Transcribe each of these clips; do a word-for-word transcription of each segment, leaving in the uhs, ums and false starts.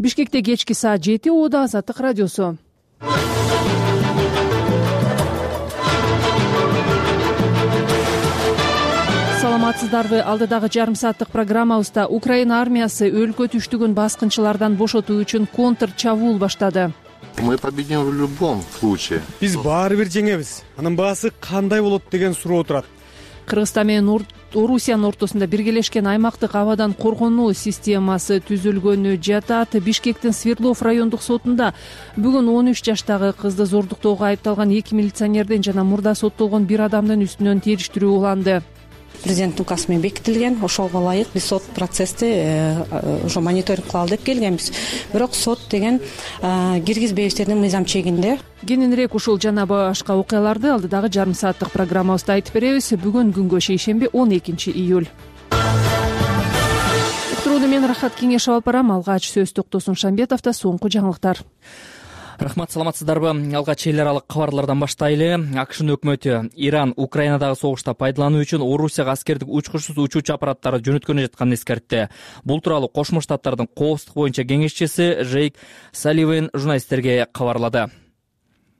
Бишкекте кечки саат жети Оода Азаттык радиосу. Саламатсыздарбы? Алдыдагы жарым сааттык программабызда Украина армиясы өлкө түштүгүн баскынчылардан бошотуу үчүн контр чабуул баштады. Мы победим в любом случае. Биз баары бир жеңебиз. Анын баасы кандай болот деген суроо турат. Кыргызстан менен Орусиянын ортосунда биргелешкен аймактык абадан коргонуу системасы түзүлгөнү жатат. Бишкектин Свердлов райондук сотунда бүгүн он үч жаштагы кызды зордуктоого айыпталган эки милиционерден жана мурда соттолгон бир адамдын үстүнөн териштирүү уланды. Президент указ менен бекитилген, ошого ылайык биз сот процессти ошо мониторинг кылалы деп келгенбиз. Бирок сот деген киргизбейбиздердин мыйзам чегинде. Кененирээк ушул жана башка окуяларды алдыдагы жарым сааттык программабызда айтып беребиз. Бүгүн күнгө шейшемби он экинчи июль. Уктурууну мен Рахат Кеңешев алып барам. Алгач сөз Токтосун Шамбетовдо соңку жаңылыктар. Рахмат, саламатсыздарбы? Алгач эл аралык кабарлардан баштайлы. АКШнын өкмөтү Иран Украинадагы согушта пайдалануу үчүн Орусияга аскердик учкучсуз учуучу аппараттары жөнөткөнү жатканын эскертти. Бул тууралуу Кошмо Штаттардын коопсуздук боюнча кеңешчиси Жейк Салливан журналисттерге кабарлады.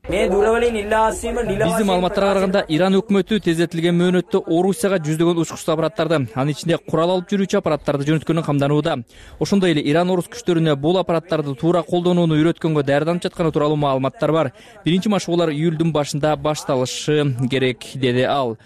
Биздин маалыматтарга караганда Иран өкмөтү тездетилген мөөнөттө Орусияга жүздөгөн учкучсуз аппараттарды, анын ичинде курал алып жүрүүчү аппараттарды жөнөткөнү камданууда. Ошондой эле Иран орус күчтөрүнө бул аппараттарды туура колдонууну үйрөткөнгө даярданып жатканы тууралуу маалыматтар бар. Биринчи машыгуулар июлдун башында башталышы керек, деди ал.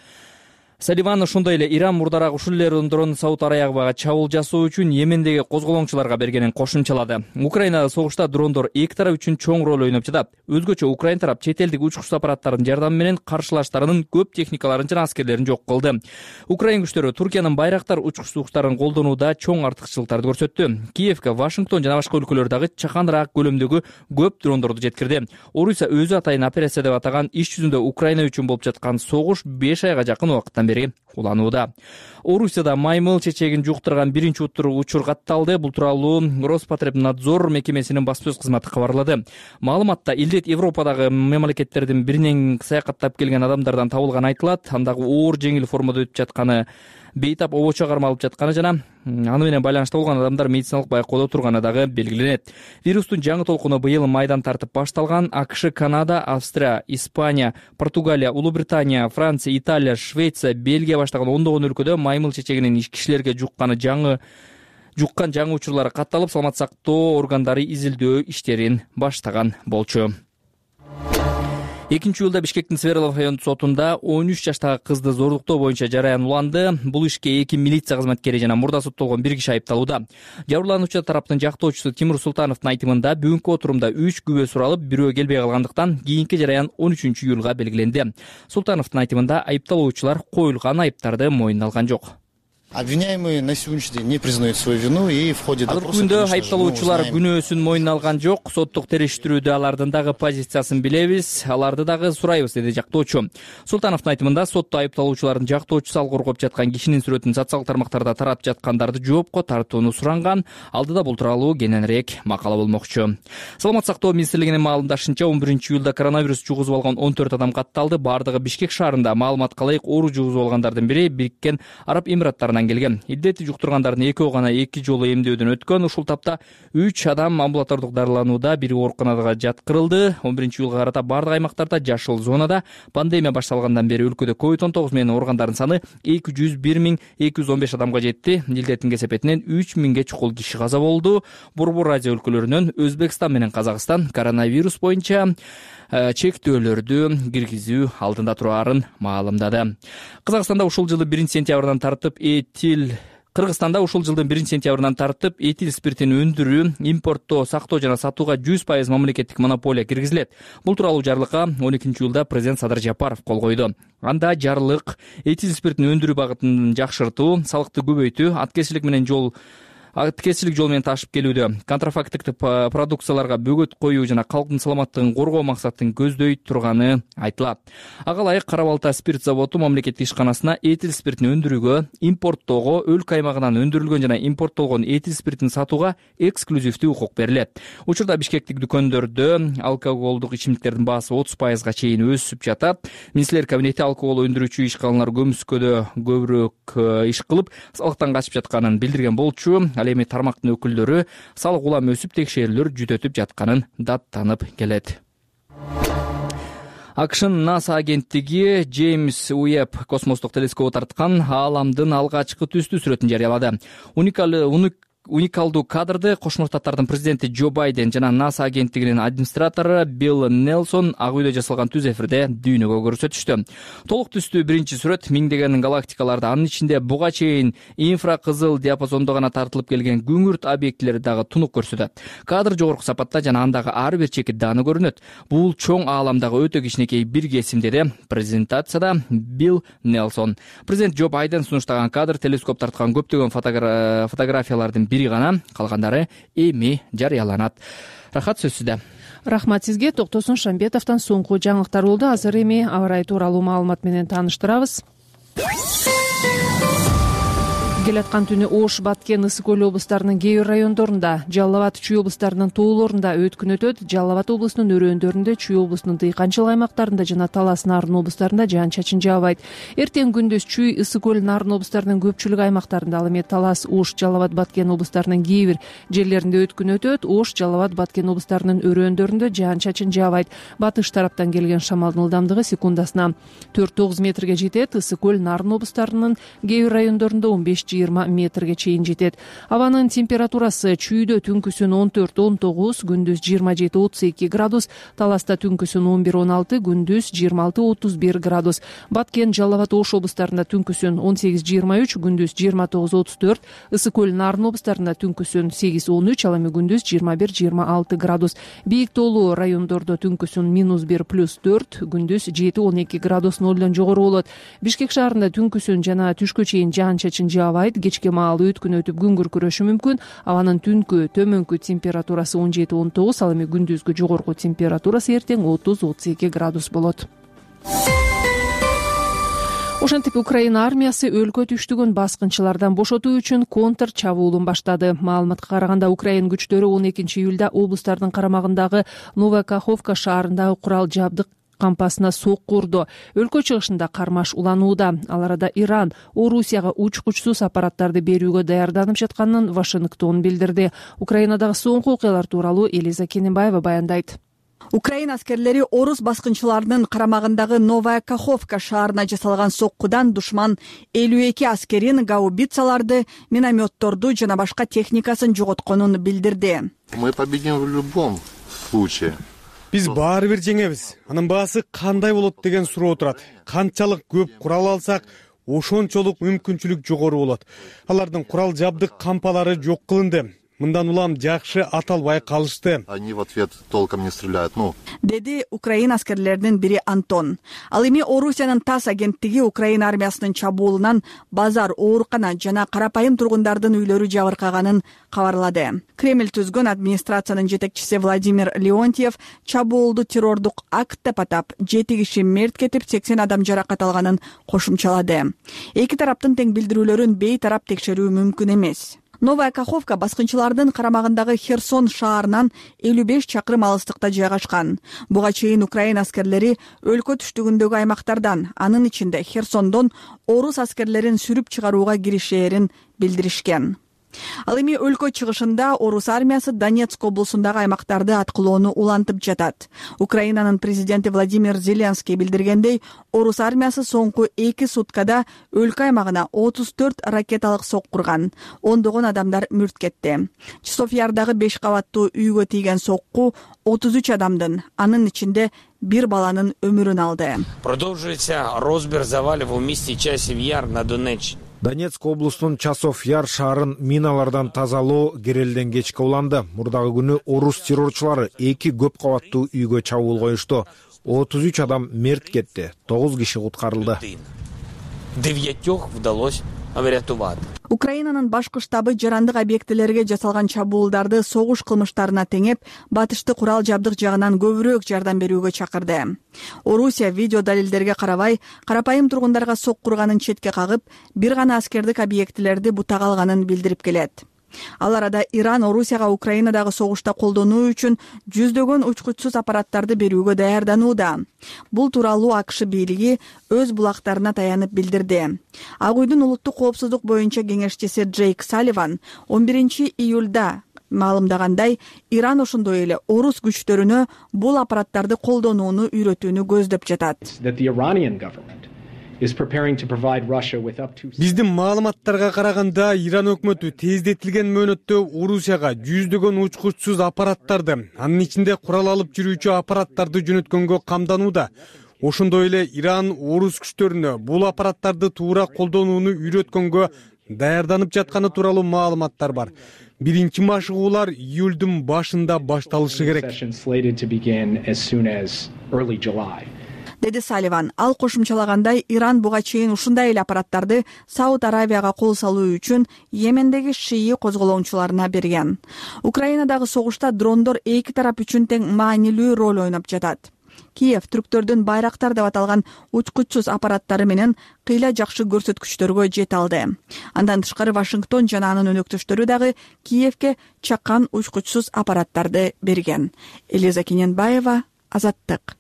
Салливан ошондой эле Иран мурдараак ушул эле дронду Сауд Арабияга чабуул жасоо үчүн Йемендеги козголоңчуларга бергенин кошумчалады. Украинада согушта дрондор эки тарап үчүн чоң роль ойноп жатат. Өзгөчө Украин тарап чет элдик учкучсуз аппараттардын жардамы менен каршылаштарынын көп техникаларын жана аскерлерин жок кылды. Украин күчтөрү Туркиянын Байрактар учкучсуздуктарын колдонууда чоң артыкчылыктарды көрсөттү. Киевге Вашингтон жана башка өлкөлөрдөгү чаканыраак көлөмдөгү көп дрондорду жеткирди. Орусия өзү атайын операция деп атаган иш жүзүндө Украина үчүн болуп жаткан согуш беш айга жакын убакыттан бери уланууда. Орусияда маймыл чечегин жуктурган биринчи учур катталды. Бул тууралуу Роспотребнадзор мекемесинин баспасөз кызматы кабарлады. Маалыматта илдет Европадагы мамлекеттердин биринен саякаттап келген адамдардан табылганы айтылат. Андагы оор жеңил формада өтүп жатканы, бейтап обочо кармалып жатканы жана аны менен байланышта болгон адамдар медициналык байкоодо турганы дагы белгиленет. Вирустун жаңы толкуну быйыл майдан тартып башталган. АКШ, Канада, Австрия, Испания, Португалия, Улуу Британия, Франция, Италия, Швеция, Бельгия баштаган ондогон өлкөдө маймыл чечегинин кишилерге жукканы жаңы жуккан жаңы учурлары катталып, саламат сактоо органдары изилдөө иштерин баштаган болчу. экинчи июлда Бишкектин Свердлов райондук сотунда он үч жаштагы кызды зордуктоо боюнча жараян уланды. Бул ишке эки милиция кызматкери жана мурда соттолгон бир киши айыпталууда. Жабырлануучу тараптын жактоочусу Тимур Султановдун айтымында бүгүнкү отурумда үч күбө суралып, бирөө келбей калгандыктан кийинки жараян он үчүнчү июлга белгиленди. Султановдун айтымында айыпталуучулар коюлган айыптарды мойнуна алган жок. Обвиняемые на сегодняшний день не признают свою вину и в ходе допроса... Азыркы күндө айыпталуучулар күнөөсүн мойнуна алган жок. Соттук териштирүүдө алардын дагы позициясын билебиз, аларды дагы сурайбыз, деди жактоочу. Султановдун айтымында сотто айыпталуучулардын жактоочусу ал коргоп жаткан кишинин сүрөтүн социалдык тармактарда таратып жаткандарды жоопко тартууну суранган. Алдыда бул тууралуу кененирээк макала болмокчу. Саламат сактоо министрлигинин маалымдашынча он биринчи июлда коронавирус жугузуп алган он төрт адам катталды. Бардыгы Бишкек шаарында. Маалыматка ылайык, оору жугузуп алгандардын бири Бириккен Араб Эмираттарынан келген. Илдети жуктургандардын экөө гана эки жолу эмдөөдөн өткөн. Ушул тапта үч адам амбулатордук дарыланууда, бири ооруканага жаткырылды. он биринчи июлга карата бардык аймактарда жашыл зонада. Пандемия башталгандан бери өлкөдө ковид он тогуз менен ооругандардын саны эки жүз бир миң эки жүз он беш адамга жетти. Илдеттин кесепетинен үч миңге чукул киши каза болду. Борбор Азия өлкөлөрүнөн Өзбекстан менен Казакстан коронавирус боюнча чектөөлөрдү киргизүү алдында турарын маалымдады. Казакстанда ушул жылы биринчи сентябрдан тартып этил Кыргызстанда ушул жылдын биринчи сентябрынан тартып этил спиртин өндүрүү, импорттоо, сактоо жана сатууга жүз пайыз мамлекеттик монополия киргизилет. Бул тууралуу жарлыкка он экинчи июлда президент Садыр Жапаров кол койду. Анда жарлык этил спиртин өндүрүү багытын жакшыртуу, салыкты көбөйтүү, аткезчилик менен жол аткезчилик жол менен ташып келүүдө, контрафактык продукцияларга бөгөт коюу жана калктын саламаттыгын коргоо максатын көздөй турганы айтылат. Ага ылайык Кара Балта спирт заводу мамлекеттик ишканасына этил спиртин өндүрүүгө, импорттоого, өлкө аймагынан өндүрүлгөн жана импорттолгон этил спиртин сатууга эксклюзивдүү укук берилет. Учурда Бишкектик дүкөндөрдө алкоголдук ичимдиктердин баасы отуз пайызга чейин өсүп жатат. Министрлер кабинети алкогол өндүрүүчү ишканалар көмүскөдө көбүрөөк иш кылып, салыктан качып жатканын билдирген болчу. Ал ал эми тармактын өкүлдөрү салык улам өсүп текшерүүлөр жүтөтүп жатканын даттанып келет. АКШнын НАСА агенттиги Джеймс Уэбб космостук телескобу тарткан ааламдын алгачкы түстүү сүрөтүн жарыялады. Уникалдуу Уникалдуу кадрды Кошмо Штаттардын президенти Джо Байден жана НАСА агенттигинин администратору Билл Нелсон ак үйдө жасалган түз эфирде дүйнөгө көрсөтүштү. Толук түстүү биринчи сүрөт миңдеген галактикаларды, анын ичинде буга чейин инфракызыл диапазондо гана тартылып келген күңүрт объектилерди дагы тунук көрсөтөт. Кадр жогорку сапатта жана андагы ар бир чекит дааны көрүнөт. Бул чоң ааламдагы өтө кичинекей бир кесим, деди презентацияда Билл Нелсон. Президент Джо Байден сунуштаган кадр телескоп тарткан көптөгөн фотографиялардын бири гана, калгандары эми жарыяланат. Рахат, сөз сизде. Рахмат сизге. Токтосун Шамбетовдон соңку жаңылыктар болду. Азыр эми аба ырайы тууралуу маалымат менен тааныштырабыз. Келаткан түнү Ош, Баткен, Ысык көл облустарынын кээ бир райондорунда, Жалал Абад, Чүй облустарынын тоолорунда өткүн өтөт. Жалал Абад облусунун өрөөндөрүндө, Чүй облусунун дыйканчылык аймактарында жана Талас, Нарын облустарында жаан-чачын жаабайт. Эртең күндүз Чүй, Ысык көл, Нарын облустарынын көпчүлүк аймактарында, ал эми Талас, Ош, Жалал Абад, Баткен облустарынын кээ бир жерлеринде өткүн өтөт. Ош, Жалал Абад, Баткен облустарынын өрөөндөрүндө жаан-чачын жаабайт. Батыш тараптан келген шамалдын ылдамдыгы секундасына төрт тогуз метрге жетет. Ысык көл, Нарын облустарынын кээ бир райондорунда он беш жыйырма метрге чейин жетет. Абанын температурасы Чүйдө түнкүсүн он төрт он тогуз, күндүз жыйырма жети отуз эки градус, Таласта түнкүсүн он бир он алты, күндүз жыйырма алты отуз бир градус. Баткен, Жалал Абад, Ош облустарында түнкүсүн он сегиз жыйырма үч, күндүз жыйырма тогуз отуз төрт, Ысык көл, Нарын облустарында түнкүсүн сегиз он үч, ал эми күндүз жыйырма бир жыйырма алты градус. Бийик тоолуу райондордо түнкүсүн минус бир плюс төрт, күндүз жети он эки градус нолдон жогору болот. Бишкек шаарында түнкүсүн жана түшкө чейин жаан-чачын жаабайт. Кечке маал өткүн өтүп күн күркүрөшү мүмкүн. Абанын түнкү төмөнкү температурасы он жети он тогуз, ал эми күндүзгү жогорку температурасы эртең отуз отуз эки градус болот. Ошентип Украина армиясы өлкө түштүгүн баскынчылардан бошотуу үчүн контр чабуулун баштады. Маалыматка караганда Украин күчтөрү он экинчи июлда облустардын карамагындагы Новая Каховка шаарындагы курал жабдык кампасына сокку урду. Өлкө чыгышында кармаш уланууда. Ал арада Иран Орусияга учкучсуз аппараттарды берүүгө даярданып жатканын Вашингтон билдирди. Украинадагы соңку окуялар тууралуу Элиза Кененбаева баяндайт. Украина аскерлери орус баскынчыларынын карамагындагы Новая Каховка шаарына жасалган соккудан душман элүү эки аскерин, гаубицаларды, минометторду жана башка техникасын жоготконун билдирди. Мы победим в любом случае. Биз баары бир жеңебиз. Анын баасы кандай болот деген суроо турат. Канчалык көп курал алсак, ошончолук мүмкүнчүлүк жогору болот. Алардын курал жабдык кампалары жок кылынды. Мындан улам жакшы аталбай калышты. Они в ответ толком не стреляют. Ну, деди Украина аскерлеринин бири Антон. Ал эми Орусиянын ТАСС агенттиги Украина армиясынын чабуулунан базар, оорукана жана карапайым тургундардын үйлөрү жабыркаганын кабарлады. Кремль түзгөн администрациянын жетекчиси Владимир Леонтьев чабуулду террордук акт деп атап, жети киши мерт кетип, сексен адам жаракат алганын кошумчалады. Эки тараптын тең билдирүүлөрүн бейтарап текшерүү мүмкүн эмес. Новая Каховка баскынчылардын карамагындагы Херсон шаарынан элүү беш чакырым алыстыкта жайгашкан. Буга чейин Украина аскерлери өлкө түштүгүндөгү аймактардан, анын ичинде Херсондон орус аскерлерин сүрүп чыгарууга киришээрин билдиришкен. Ал эми өлкө чыгышында орус армиясы Донецк облусундагы аймактарды аткылоону улантып жатат. Украинанын президенти Владимир Зеленский билдиргендей, орус армиясы соңку эки суткада өлкө аймагына отуз төрт ракеталык соккурган. Ондогон адамдар мүрт кетти. Часовьярдагы беш кабаттуу үйгө тийген сокку отуз үч адамдын, анын ичинде бир баланын өмүрүн алды. Продолжуется розбир завалов в месте Часов Яр на Донеччине. Донецк облусунун Часов Яр шаарын миналардан тазалоо керелден кечке уланды. Мурдагы күнү орус террорчулары эки көп кабаттуу үйгө чабуул коюшту. отуз үч адам мерт кетти, тогуз киши куткарылды. Девятёх удалось врятовать. Украинанын башкы штабы жарандык объектилерге жасалган чабуулдарды согуш кылмыштарына теңеп, батышты курал жабдык жагынан көбүрөөк жардам берүүгө чакырды. Орусия видео далилдерге карабай, карапайым тургундарга соккурганын четке кагып, бир гана аскердик объектилерди бутага алганын билдирип келет. Ал арада Иран Орусияга Украинадагы согушта колдонуу үчүн жүздөгөн учкучсуз аппараттарды берүүгө даярданууда. Бул тууралуу АКШ бийлиги өз булактарына таянып билдирди. Ак үйдүн улуттук коопсуздук боюнча кеңешчиси Джейк Салливан он биринчи июлда маалымдагандай, Иран ошондой эле орус күчтөрүнө бул аппараттарды колдонууну үйрөтүүнү көздөп жатат. Биздин маалыматтарга караганда Иран өкмөтү тездетилген мөөнөттө Орусияга жүздөгөн учкучсуз аппараттарды, анын ичинде курал алып жүрүүчү аппараттарды жөнөткөнгө камданууда. Ошондой эле Иран орус күчтөрүнө бул аппараттарды туура колдонууну үйрөткөнгө даярданып жатканы тууралуу маалыматтар бар. Биринчи машыгуулар июлдун башында башталышы керек, деди Салливан. Ал кошумчалагандай, Иран буга чейин ушундай эле аппараттарды Сауд Аравияга кол салуу үчүн Йемендеги шии козголоочуларына берген. Украинадагы согушта дрондор эки тарап үчүн тең маанилүү роль ойноп жатат. Киев түрктөрдүн байрактар деп аталган учкучсуз аппараттары менен кыйла жакшы көрсөткүчтөргө жете алды. Андан тышкары Вашингтон жана анын өнөктөштөрү дагы Киевке чакан учкучсуз аппараттарды берген. Элиза Кененбаева, Азаттык.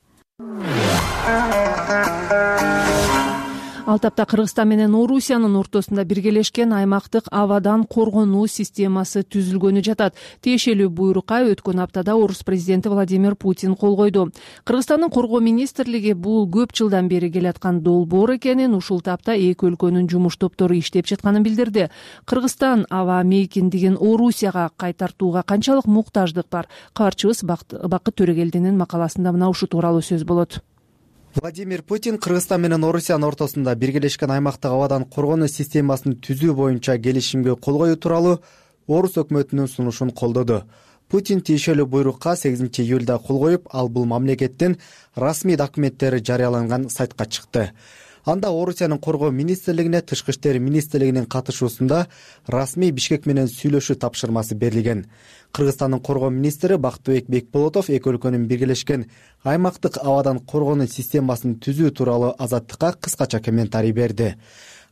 Ал тапта Кыргызстан менен Орусиянын ортосунда биргелешкен аймактык абадан коргонуу системасы түзүлгөнү жатат. Тиешелүү буйрукка өткөн аптада Орус президенти Владимир Путин кол койду. Кыргызстандын коргоо министрлиги бул көп жылдан бери келаткан долбоор экенин, ушул тапта эки өлкөнүн жумуш топтору иштеп жатканын билдирди. Кыргызстан аба мейкиндигин Орусияга кайтартууга канчалык муктаждык бар? Кабарчыбыз Бакыт Төрөгелдинин макаласында мына ушул тууралуу сөз болот. Владимир Путин Кыргызстан менен Орусиянын ортосунда биргелешкен аймактык абадан коргонуу системасын түзүү боюнча келишимге кол коюу тууралуу Орус өкмөтүнүн сунушун колдоду. Путин тиешелүү буйрукка сегизинчи июлда кол коюп, ал бул мамлекеттин расмий документтери жарыяланган сайтка чыкты. Анда Орусиянын коргоо министрлигине тышкы иштер министрлигинин катышуусунда расмий Бишкек менен сүйлөшүү тапшырмасы берилген. Кыргызстандын коргоо министри Бактыбек Бекболотов эки өлкөнүн биргелешкен аймактык абадан коргонуу системасын түзүү тууралуу Азаттыкка кыскача комментарий берди.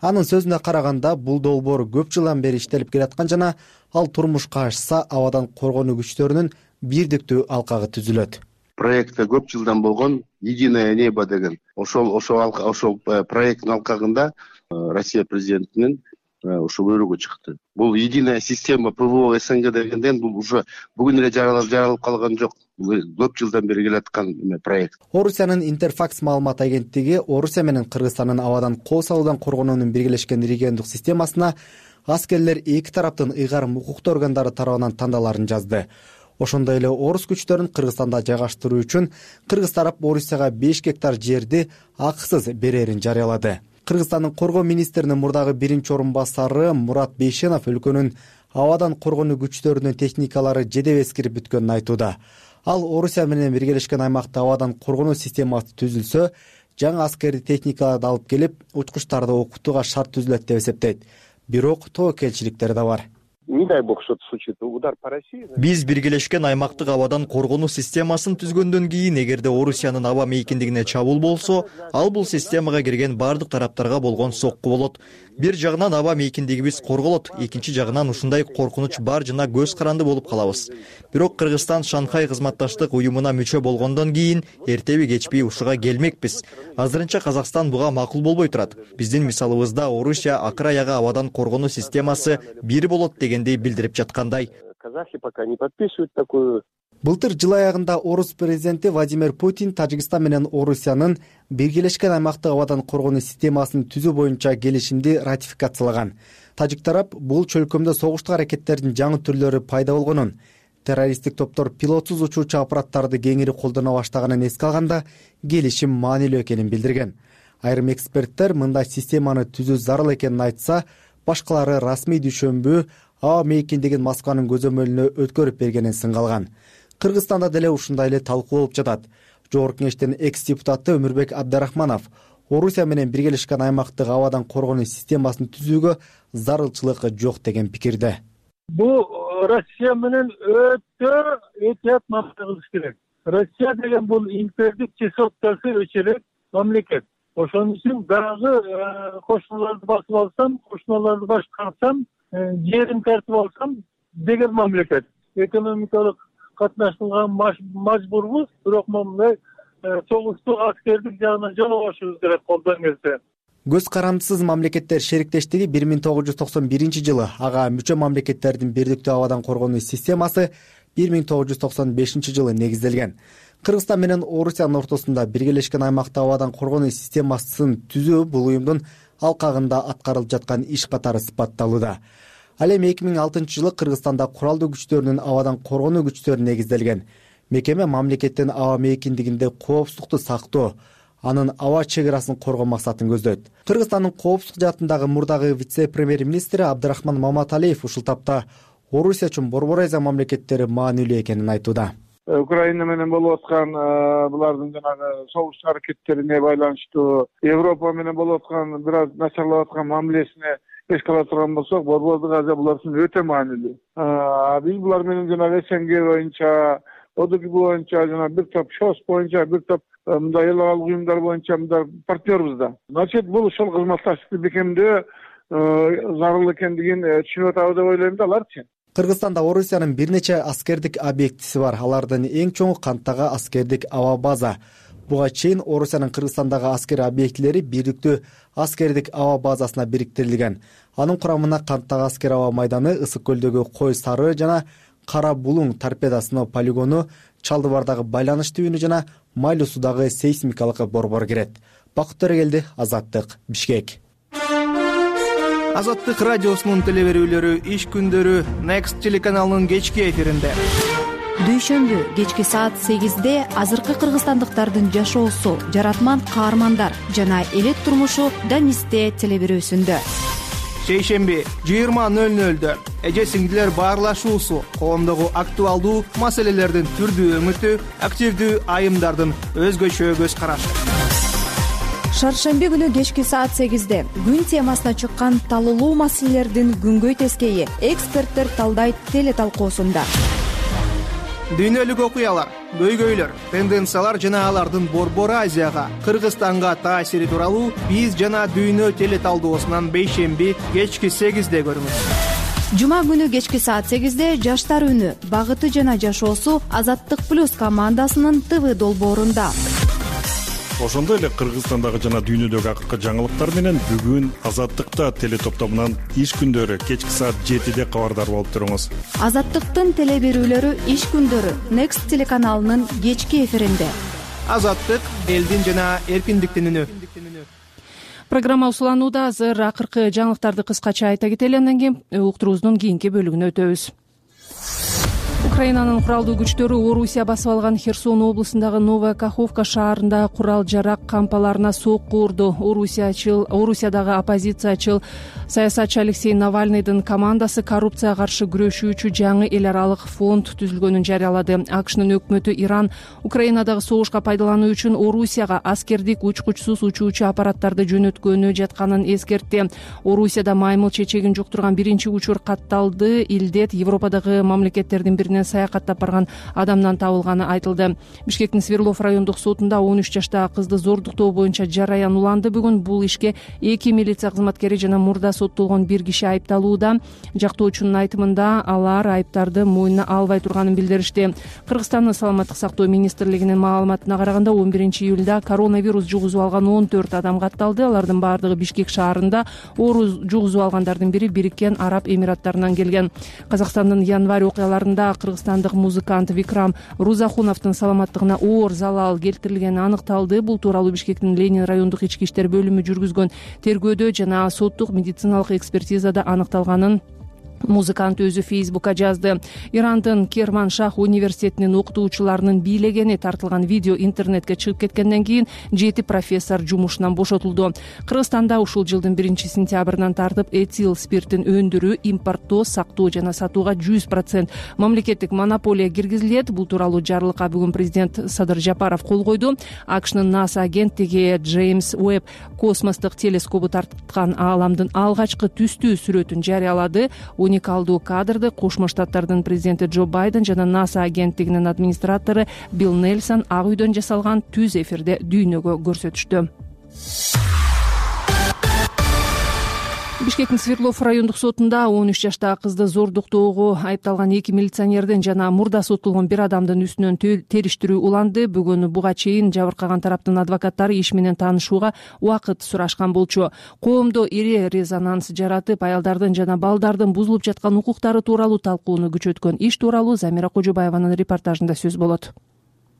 Анын сөзүнө караганда, бул долбоор көп жылдан бери иштелип келаткан жана ал турмушка ашса, абадан коргонуу күчтөрүнүн бирдиктүү алкагы түзүлөт. Проекти көп жылдан болгон «Единое небо» деген ошол ошол ошол проекттин алкагында Россия президентинин ушул буйругу чыкты. Бул единая система ПВО СНГ дегенден бул уже бүгүн эле жаралып жаралып калган жок. Көп жылдан бери келаткан проект. Орусиянын Интерфакс маалымат агенттиги Орусия менен Кыргызстандын абадан кол салуудан коргонуунун биргелешкен региондук системасына аскерлер эки тараптын ыйгарым укуктуу органдары тарабынан тандаларын жазды. Ошондой эле орус күчтөрүн Кыргызстанда жайгаштыруу үчүн Кыргыз тарап Орусияга беш гектар жерди акысыз берерин жарыялады. Кыргызстандын коргоо министринин мурдагы биринчи орун басары Мурат Бейшенов өлкөнүн абадан коргонуу күчтөрүнүн техникалары жедеп эскирип бүткөнүн айтууда. Ал Орусия менен биргелешкен аймакта абадан коргонуу системасы түзүлсө, жаңы аскердик техникаларды алып келип, учкучтарды окутууга шарт түзүлөт деп эсептейт. Бирок тобокелчиликтер да бар. Не дай бог что-то случится, удар по России. Биз биргелешкен аймактык абадан коргонуу системасын түзгөндөн кийин, эгерде Орусиянын аба мейкиндигине чабуул болсо, ал бул системага кирген бардык тараптарга болгон сокку болот. Бир жагынан аба мейкиндигибиз корголот, экинчи жагынан ушундай коркунуч бар жана көз каранды болуп калабыз. Бирок Кыргызстан Шанхай кызматташтык уюмуна мүчө болгондон кийин эртеби кечпей ушуга келмекпиз. Азырынча Казакстан буга макул болбой турат. Биздин мисалыбызда Орусия акыр аягы абадан коргонуу системасы бир болот дегендей билдирип жаткандай. Казахи пока не подписывают такую. Былтыр жыл аягында Орус президенти Владимир Путин Тажикстан менен Орусиянын биргелешкен аймактык абадан коргонуу системасын түзүү боюнча келишимди ратификациялаган. Тажик тарап бул чөлкөмдө согуштук аракеттердин жаңы түрлөрү пайда болгонун, террористтик топтор пилотсуз учуучу аппараттарды кеңири колдоно баштаганын эске алганда келишим маанилүү экенин билдирген. Айрым эксперттер мындай системаны түзүү зарыл экенин айтса, башкалары расмий түшүнбүү аба мейкиндигин Москванын көзөмөлүнө өткөрүп бергенин сынгалган. Кыргызстанда деле ушундай эле талкуу болуп жатат. Жогорку кеңештин экс-депутаты Өмүрбек Абдарахманов Орусия менен биргелешкен аймактык абадан коргонуу системасын түзүүгө зарылчылык жок деген пикирде. Бул Россия менен өтө этият мамлекет керек. Россия деген бул импердик чесоткасы өчөлөк мамлекет. Ошон үчүн дагы кошуналарды басып алсам, кошуналарды башкарсам, жерин тартып алсам деген мамлекет. Экономикалык катнашууга мажбурбуз, бирок мындай согуштук аскердик жагынан жолобошубуз керек колдон келсе. Көз карандысыз мамлекеттер шериктештиги бир миң тогуз жүз токсон биринчи жылы, ага мүчө мамлекеттердин бирдиктүү абадан коргонуу системасы бир миң тогуз жүз токсон бешинчи жылы негизделген. Кыргызстан менен Орусиянын ортосунда биргелешкен аймакта абадан коргонуу системасын түзүү бул уюмдун алкагында аткарылып жаткан иш катары сыпатталууда. Ал эми эки миң алтынчы жылы Кыргызстанда куралдуу күчтөрүнүн абадан коргонуу күчтөрү негизделген. Мекеме мамлекеттин аба мейкиндигинде коопсуздукту сактоо, анын аба чек арасын коргоо максатын көздөйт. Кыргызстандын коопсуздук жаатындагы мурдагы вице-премьер-министри Абдрахман Маматалиев ушул тапта Орусия үчүн Борбор Азия мамлекеттери маанилүү экенин айтууда. Украина менен болуп аткан булардын жанагы согуш аракеттерине байланыштуу, Европа менен болуп аткан бир аз начарлап аткан мамилесине эске ала турган болсок, Борбордук Азия булар үчүн өтө маанилүү. Биз булар менен жанагы СНГ боюнча, ОДКБ боюнча, жана бир топ ШОС боюнча, бир топ мындай эл аралык уюмдар боюнча мындай партнербуз да. Значит, бул ошол кызматташтыкты бекемдөө зарыл экендигин түшүнүп атабыз деп ойлойм да аларчы. Кыргызстанда Орусиянын бир нече аскердик объектиси бар. Алардын эң чоңу Канттагы аскердик аба база. Буга чейин Орусиянын Кыргызстандагы аскер объектилери бирдиктүү аскердик аба базасына бириктирилген. Анын курамына Канттагы аскер аба майданы, Ысык көлдөгү Кой Сары жана Кара Булуң торпеда сыноо полигону, Чалдыбардагы байланыш түбүнү жана Майлуу суудагы сейсмикалык борбор кирет. Бакыт Төрөгелди, Азаттык, Бишкек. Азаттык радиосунун телеберүүлөрү иш күндөрү Next телеканалынын кечки эфиринде. Дүйшөмбү кечки саат сегизде азыркы кыргызстандыктардын жашоосу, жаратман каармандар жана элет турмушу Данисте телеберүүсүндө. Шейшемби жыйырма нөл нөлдө эже сиңдилер баарлашуусу, коомдогу актуалдуу маселелердин түрдүү өңүтү, активдүү айымдардын өзгөчө көз карашы. Шаршемби күнү кечки саат сегизде күн темасына чыккан талуулуу маселелердин күнгөй тескейи эксперттер талдайт теле талкуусунда. Дүйнөлүк окуялар, көйгөйлөр, тенденциялар жана алардын Борбор Азияга, Кыргызстанга таасири тууралуу биз жана дүйнө теле талдоосунан бейшемби кечки сегизде көрүңүз. Жума күнү кечки саат сегизде жаштар үнү, багыты жана жашоосу Азаттык плюс командасынын ТВ долбоорунда. Ошондой эле Кыргызстандагы жана дүйнөдөгү акыркы жаңылыктар менен бүгүн Азаттыкта теле топтомунан иш күндөрү кечки саат жетиде кабардар болуп туруңуз. Азаттыктын теле берүүлөрү иш күндөрү Next телеканалынын кечки эфиринде. Азаттык элдин жана эркиндиктин үнү. Программа усуланууда. Азыр акыркы жаңылыктарды кыскача айта кетели, андан кийин уктуруубуздун кийинки бөлүгүнө өтөбүз. Украинанын куралдуу күчтөрү Орусия басып алган Херсон облусундагы Новая Каховка шаарында курал жарак кампаларына сокку урду. Орусиячыл, Орусиядагы оппозициячыл саясатчы Алексей Навальныйдын командасы коррупцияга каршы күрөшүүчү жаңы эл аралык фонд түзүлгөнүн жарыялады. АКШнын өкмөтү Иран Украинадагы согушка пайдалануу үчүн Орусияга аскердик учкучсуз учуучу аппараттарды жөнөткөнү жатканын эскертти. Орусияда маймыл чечегин жуктурган биринчи учур катталды. Илдет Европадагы мамлекеттердин биринен саякаттап барган адамдан табылганы айтылды. Бишкектин Свердлов райондук сотунда он үч жаштагы кызды зордуктоо боюнча жараян уланды. Бүгүн бул ишке эки милиция кызматкери жана мурда соттолгон бир киши айыпталууда. Жактоочунун айтымында алар айыптарды мойнуна албай турганын билдиришти. Кыргызстандын саламаттык сактоо министрлигинин маалыматына караганда он биринчи июлда коронавирус жугузуп алган он төрт адам катталды. Алардын баардыгы Бишкек шаарында. Оору жугузуп алгандардын бири Бириккен Араб Эмираттарынан келген. Казакстандын январь окуяларында кыргызстандык музыкант Викрам Рузахуновдун саламаттыгына оор залал келтирилгени аныкталды. Бул тууралуу Бишкектин Ленин райондук ички иштер бөлүмү жүргүзгөн тергөөдө жана соттук медициналык экспертизада аныкталганын музыкант өзү Фейсбукка жазды. Ирандын Керманшах университетинин окутуучуларынын бийлегени тартылган видео интернетке чыгып кеткенден кийин жети профессор жумушунан бошотулду. Кыргызстанда ушул жылдын биринчи сентябрынан тартып этил спиртин өндүрүү, импорттоо, сактоо жана сатууга жүз процент мамлекеттик монополия киргизилет. Бул тууралуу жарлыкка бүгүн президент Садыр Жапаров кол койду. АКШнын НАСА агенттиги Джеймс Уэбб космостук телескопу тарткан ааламдын алгачкы түстүү сүрөтүн жарыялады. Уникалдуу кадрды Кошмо Штаттардын президенти Джо Байден жана НАСА агенттигинин администратору Билл Нельсон ак үйдөн жасалган түз эфирде дүйнөгө көрсөтүштү. Бишкектин Свердлов райондук сотунда он үч жаштагы кызды зордуктоого айыпталган эки милиционердин жана мурда соттолгон бир адамдын үстүнөн териштирүү уланды. Бүгүн буга чейин жабыркаган тараптын адвокаттары иш менен таанышууга убакыт сурашкан болчу. Коомдо ири резонанс жаратып, аялдардын жана балдардын бузулуп жаткан укуктары тууралуу талкууну күчөткөн. Иш тууралуу Замира Кожобаеванын репортажында сөз болот.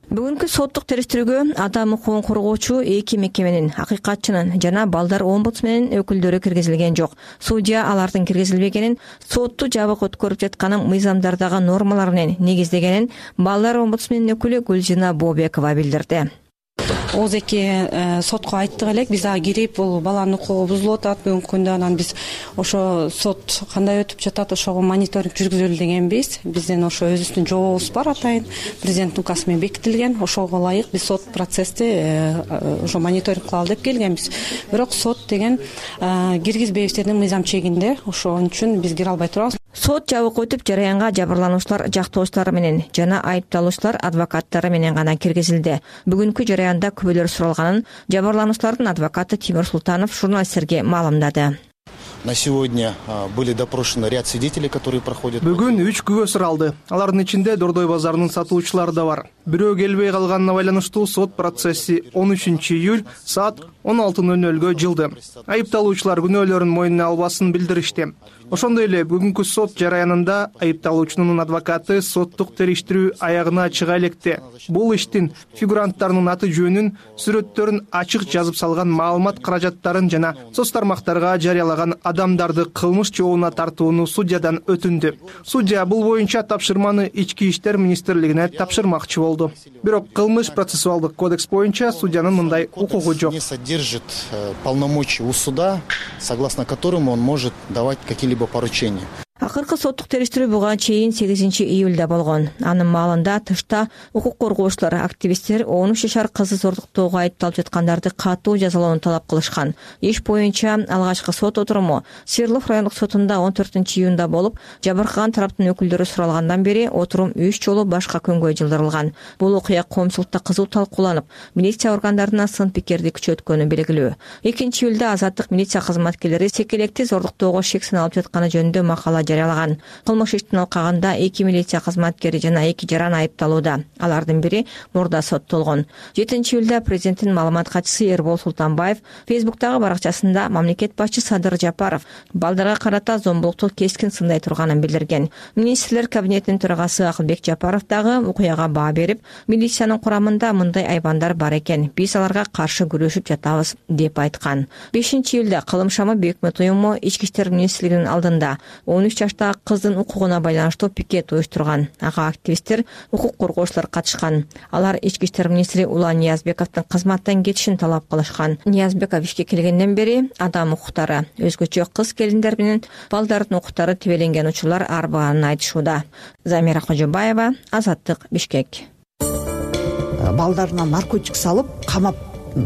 Бүгүнкү соттук териштирүүгө адам укугун коргоочу эки мекеменин, акыйкатчынын жана балдар омбудсменин өкүлдөрү киргизилген жок. Судья алардын киргизилбегенин сотту жабык өткөрүп жатканын мыйзамдардагы нормалар менен негиздегенин балдар омбудсменин өкүлү Гүлжина Бообекова билдирди. Ооз эки сотко айттык элек, биз ага кирип, бул баланын укугу бузулуп атат бүгүнкү күндө, анан биз ошо сот кандай өтүп жатат, ошого мониторинг жүргүзөлү дегенбиз. Биздин ошо өзүбүздүн жообубуз бар, атайын президенттин указы менен бекитилген. Ошого ылайык биз сот процессти ошо мониторинг кылалы деп келгенбиз. Бирок сот деген киргизбейбиздердин мыйзам чегинде, ошон үчүн биз кире албай турабыз. Сот жабык өтүп, жараянга жабырлануучулар жактоочулары менен жана айыпталуучулар адвокаттары менен гана киргизилди. Бүгүнкү жараянда күбөлөр суралганын жабырлануучулардын адвокаты Тимур Султанов журналисттерге маалымдады. На сегодня были допрошены ряд свидетелей, которые проходят. Бүгүн үч күбө суралды. Алардын ичинде Дордой базарынын сатуучулары да бар. Бирөө келбей калганына байланыштуу сот процесси он үчүнчү июль саат он алты ноль нольго жылды. Айыпталуучулар күнөөлөрүн мойнуна албасын билдиришти. Ошондой эле бүгүнкү сот жараянында айыпталуучунун адвокаты соттук териштирүү аягына чыга электе. Бул иштин фигуранттарынын аты жөнүн, сүрөттөрүн ачык жазып салган маалымат каражаттарын жана соц тармактарга жарыялаган адамдарды кылмыш жообуна тартууну судьядан өтүндү. Судья бул боюнча тапшырманы Ички иштер министрлигине тапшырмакчы болду. Бирок кылмыш процессуалдык кодекс боюнча судьянын мындай укугу жок. Не содержит полномочий у суда, согласно которому он может давать какие-либо поручения. Акыркы соттук териштирүү буга чейин сегизинчи июлда болгон. Анын маалында тышта укук коргоочулар, активисттер он үч жашар кызды зордуктоого айыпталып жаткандарды катуу жазалоону талап кылышкан. Иш боюнча алгачкы сот отуруму Свердлов райондук сотунда он төртүнчү июнда болуп, жабыркаган тараптын өкүлдөрү суралгандан бери отурум үч жолу башка күнгө жылдырылган. Бул окуя коомчулукта кызуу талкууланып, милиция органдарына сын пикирди күчөткөнү белгилүү. экинчи июлда азаттык милиция кызматкерлери секелекти зордуктоого шек саналып жатканы жөнүндө макала жарыялаган. Кылмыш иштин алкагында эки милиция кызматкери жана эки жаран айыпталууда. Алардын бири мурда соттолгон. жетинчи июлда президенттин маалымат катчысы Эрбол Султанбаев Фейсбуктагы баракчасында мамлекет башчы Садыр Жапаров балдарга карата зомбулукту кескин сындай турганын билдирген. Министрлер кабинетинин төрагасы Акылбек Жапаров дагы окуяга баа берип, милициянын курамында мындай айбандар бар экен, биз аларга каршы күрөшүп жатабыз деп айткан. бешинчи июлда Кылым шамы Бекмет уюму Ички иштер министрлигинин алдында он үч жаштагы кыздын укугуна байланыштуу пикет уюштурган. Ага активисттер, укук коргоочулар катышкан. Алар Ички иштер министри Улан Ниязбековдун кызматтан кетишин талап кылышкан. Ниязбеков ишке келгенден бери адам укуктары, өзгөчө кыз келиндер менен балдардын укуктары тебеленген учурлар арбаганын айтышууда. Замира Кожобаева, Азаттык, Бишкек. Балдарына наркотик салып, камап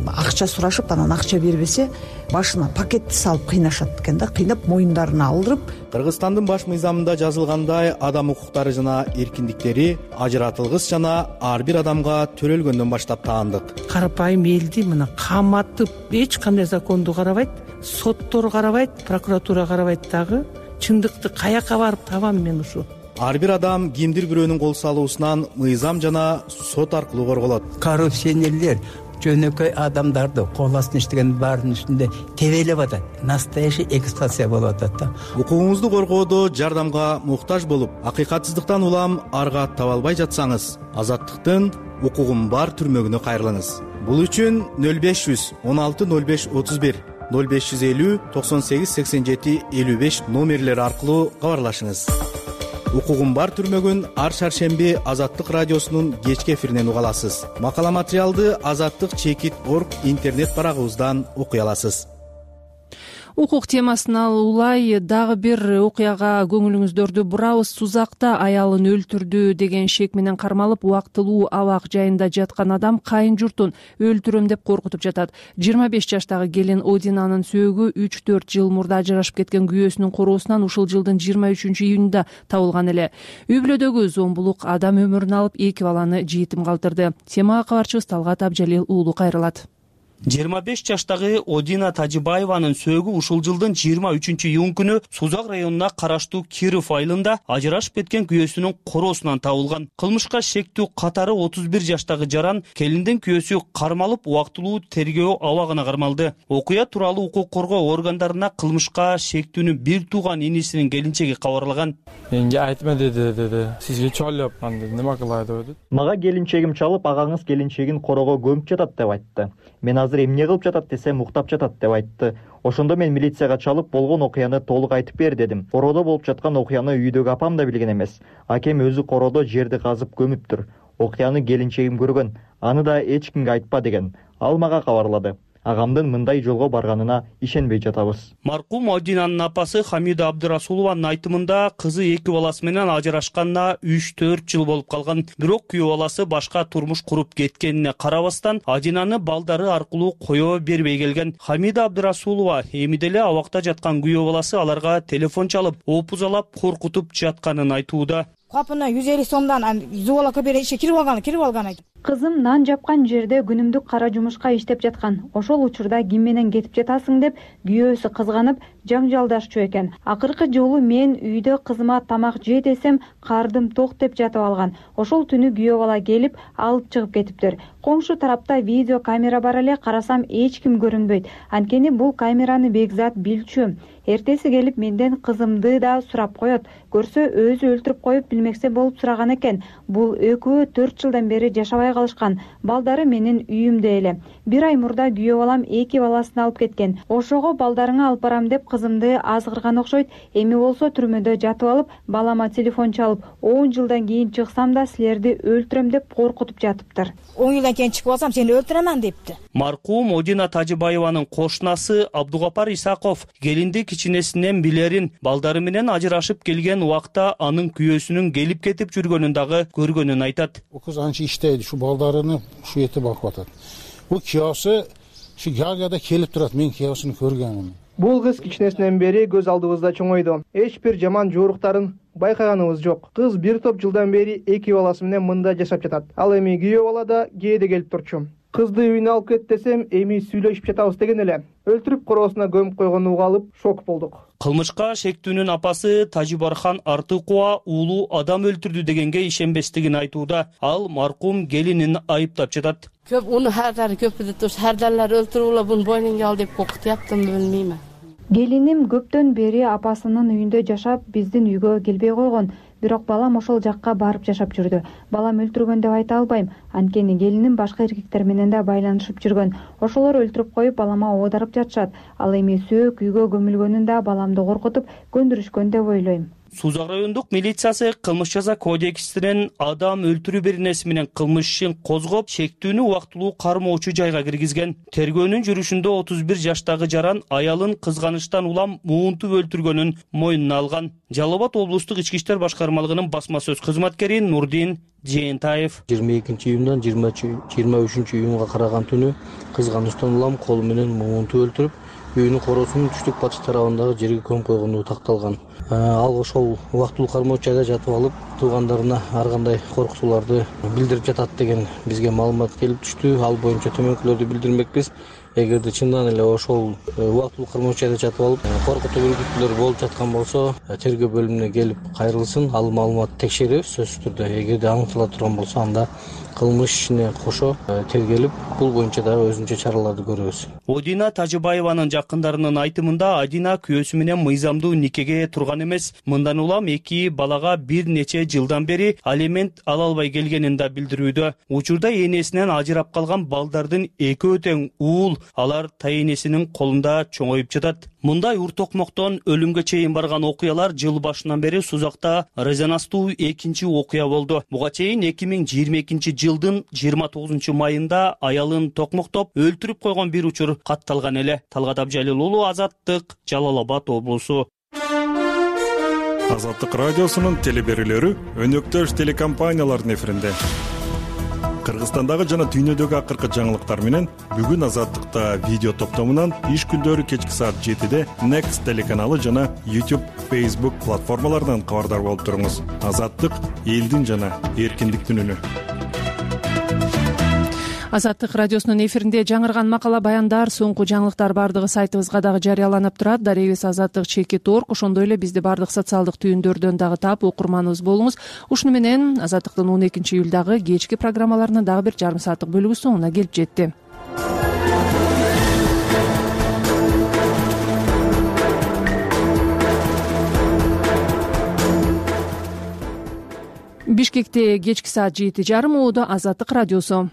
акча сурашып, анан акча бербесе, башына пакетти салып кыйнашат экен да, кыйнап моюндарына алдырып. Кыргызстандын баш мыйзамында жазылгандай, адам укуктары жана эркиндиктери ажыратылгыс жана ар бир адамга төрөлгөндөн баштап таандык. Карапайым элди мына каматып, эч кандай законду карабайт, соттор карабайт, прокуратура карабайт дагы. Чындыкты каяка барып табам мен ушу? Ар бир адам кимдир бирөөнүн кол салуусунан мыйзам жана сот аркылуу корголот. Коррупционерлер жөнөкөй адамдарды кол астына иштеген баардын үстүндө тебелеп атат. Настоящий эксплуатация болуп атат да. Укугуңузду коргоодо жардамга муктаж болуп, акыйкатсыздыктан улам арга таба албай жатсаңыз, Азаттыктын укугум бар түрмөгүнө кайрылыңыз. Бул үчүн нөл беш жүз он алты нөл беш отуз бир, нөл беш жүз элүү токсон сегиз сексен жети элүү беш номерлери аркылуу кабарлашыңыз. Укугум бар түрмөгүн ар шаршемби Азаттык радиосунун кечки эфиринен уга аласыз. Макала материалды азаттык чекит точка орг интернет барагыбыздан окуй аласыз. Укук темасына улай дагы бир окуяга көңүлүңүздөрдү бурабыз. Сузакта аялын өлтүрдү деген шек менен кармалып, убактылуу абак жайында жаткан адам кайын журтун өлтүрөм деп коркутуп жатат. жыйырма беш жаштагы келин Одинанын сөөгү үч төрт жыл мурда ажырашып кеткен күйөөсүнүн короосунан ушул жылдын жыйырма үчүнчү июнунда табылган эле. Үй бүлөдөгү зомбулук адам өмүрүн алып, эки баланы жетим калтырды. Темага кабарчыбыз Талгат Абжалил уулу кайрылат. жыйырма беш жаштагы Одина Тажибаеванын сөөгү ушул жылдын жыйырма үчүнчү июнь күнү Сузак районуна караштуу Киров айылында ажырашып кеткен күйөөсүнүн короосунан табылган. Кылмышка шектүү катары отуз бир жаштагы жаран келиндин күйөөсү кармалып, убактылуу тергөө абагына кармалды. Окуя тууралуу укук коргоо органдарына кылмышка шектүүнүн бир тууган инисинин келинчеги кабарлаган. Менге айтма деди, деди. Сизге чалып, анда неме кылай деп. Мага келинчегим чалып, агаңыз келинчегин корого көмүп жатат деп айтты. Мен азыр эмне кылып жатат десем, уктап жатат деп айтты. Ошондо мен милицияга чалып, болгон окуяны толук айтып бер дедим. Короодо болуп жаткан окуяны үйдөгү апам да билген эмес. Акем өзү короодо жерди казып көмүптүр. Окуяны келинчегим көргөн. Аны да эч кимге айтпа деген. Ал мага кабарлады. Агамдын мындай жолго барганына ишенбей жатабыз. Маркум Одинанын апасы Хамида Абдырасулованын айтымында кызы эки баласы менен ажырашканына үч төрт жыл болуп калган. Бирок күйөө баласы башка турмуш куруп кеткенине карабастан Одинаны балдары аркылуу коё бербей келген. Хамида Абдырасулова эми деле абакта жаткан күйөө баласы аларга телефон чалып, опузалап, коркутуп жатканын айтууда. Капына жүз элүү сомдон зубалакка бере ишке кирип алган, кирип алган айт. Кызым нан жапкан жерде күнүмдүк кара жумушка иштеп жаткан. Ошол учурда ким менен кетип жатасың деп күйөөсү кызганып, жаңжалдашчу экен. Акыркы жолу мен үйдө кызыма тамак же десем, кардым ток деп жатып алган. Ошол түнү күйөө бала келип, алып чыгып кетиптир. Коңшу тарапта видео камера бар эле, карасам эч ким көрүнбөйт. Анткени бул камераны Бекзат билчү. Эртеси келип менден кызымды да сурап коет. Көрсө өзү өлтүрүп коюп билмексе болуп сураган экен. Бул экөө төрт жылдан бери жашабай калышкан. Балдары менин үйүмдө эле. Бир ай мурда күйөө балам эки баласын алып кеткен. Ошого балдарыңа алып барам деп кызымды азгырган окшойт. Эми болсо түрмөдө жатып алып, балама телефон чалып, он жылдан кийин чыксам да силерди өлтүрөм деп коркутуп жатыптыр. он жылдан кийин чыгып алсам сени өлтүрөмөн депти. Маркум Одина Тажибаеванын кошунасы Абдугапар Исаков келинди кичинесинен билерин, балдары менен ажырашып келген убакта анын күйөөсүнүн келип кетип жүргөнүн дагы көргөнүн айтат. О кыз анча иштейди, ушу балдарыны ушу эте багып атат. Бул күйөөсү ушу Галгада келип турат, мен күйөөсүн көргөнмүн. Бул кыз кичинесинен бери көз алдыбызда чоңойду. Эч бир жаман жууруктарын байкаганыбыз жок. Кыз бир топ жылдан бери эки баласы менен мында жашап жатат. Ал эми күйөө бала да кээде келип турчу. Кызды үйүнө алып кет десем, эми сүйлөшүп жатабыз деген эле. Өлтүрүп короосуна көмүп койгонун угалып, шок болдук. Кылмышка шектүүнүн апасы Тажибархан Артыкова уулу адам өлтүрдү дегенге ишенбестигин айтууда. Ал маркум келинин айыптап жатат. Көп уну хардары көпүдө туруш, хардарлар өлтүрүп бун бойнуңга ал деп коркутуптым, билмейм. Келиним көптөн бери апасынын үйүндө жашап, биздин үйгө келбей койгон. Бирок балам ошол жакка барып жашап жүрдү. Балам өлтүргөн деп айта албайм. Анткени келиним башка эркектер менен да байланышып жүргөн. Ошолор өлтүрүп коюп, балама оодарып жатышат. Ал эми сөөк үйгө көмүлгөнүн да баламды коркутуп, көндүрүшкөн деп ойлойм. Сузак райондук милициясы кылмыш жаза кодексинин адам өлтүрүү беренеси менен кылмыш ишин козгоп, шектүүнү убактылуу кармоочу жайга киргизген. Тергөөнүн жүрүшүндө отуз бир жаштагы жаран аялын кызганычтан улам муунтуп өлтүргөнүн мойнуна алган. Жалал Абад облустук ички иштер башкармалыгынын басма сөз кызматкери Нурдин Жээнтаев жыйырма экинчи июндан жыйырма үчүнчү июнга караган түнү кызганычтан улам колу менен муунтуп өлтүрүп, үйүнүн короосунун түштүк батыш тарабындагы жерге көмүп койгону такталган. Ал ошол убактылуу кармоочу жайда жатып алып, туугандарына ар кандай коркутууларды билдирип жатат деген бизге маалымат келип түштү. Ал боюнча төмөнкүлөрдү билдирмекпиз. Эгерде чындан эле ошол убактылуу кармоочу жайда жатып алып, коркутуу үркүтүүлөр болуп жаткан болсо, тергөө бөлүмүнө келип кайрылсын. Ал маалыматты текшеребиз сөзсүз түрдө. Эгерде аныктала турган болсо, анда кылмыш ишине кошо тергелип, бул боюнча дагы өзүнчө чараларды көрөбүз. Одина Тажибаеванын жакындарынын айтымында Одина күйөөсү менен мыйзамдуу никеге турган эмес. Мындан улам эки балага бир нече жылдан бери алимент ала албай келгенин да билдирүүдө. Учурда энесинен ажырап калган балдардын экөө тең уул, алар тайэнесинин колунда чоңоюп жатат. Мындай уртокмоктон өлүмгө чейин барган окуялар жыл башынан бери Сузакта резонанстуу экинчи окуя болду. Буга чейин эки миң жыйырма экинчи жылдын жыйырма тогузунчу майында аялын токмоктоп өлтүрүп койгон бир учур катталган эле. Талгат Абжалил уулу, Азаттык, Жалал Абад облусу. Азаттык радиосунун телеберүүлөрү өнөктөш телекомпаниялардын эфиринде. Кыргызстандагы жана дүйнөдөгү акыркы жаңылыктар менен бүгүн Азаттыкта видео топтомунан иш күндөрү кечки саат жетиде Next телеканалы жана YouTube, Facebook платформаларынан кабардар болуп туруңуз. Азаттык — элдин жана эркиндиктин үнү. Азаттык радиосунун эфиринде жаңырган макала баяндар, соңку жаңылыктар бардыгы сайтыбызга дагы жарыяланып турат. Дарегибиз азаттык чекит орг. Ошондой эле бизди бардык социалдык түйүндөрдөн дагы таап окурманыбыз болуңуз. Ушуну менен Азаттыктын он экинчи июлдагы кечки программаларынын дагы бир жарым сааттык бөлүгү соңуна келип жетти. Бишкекте кечки саат жети жарым Оодо Азаттык радиосу.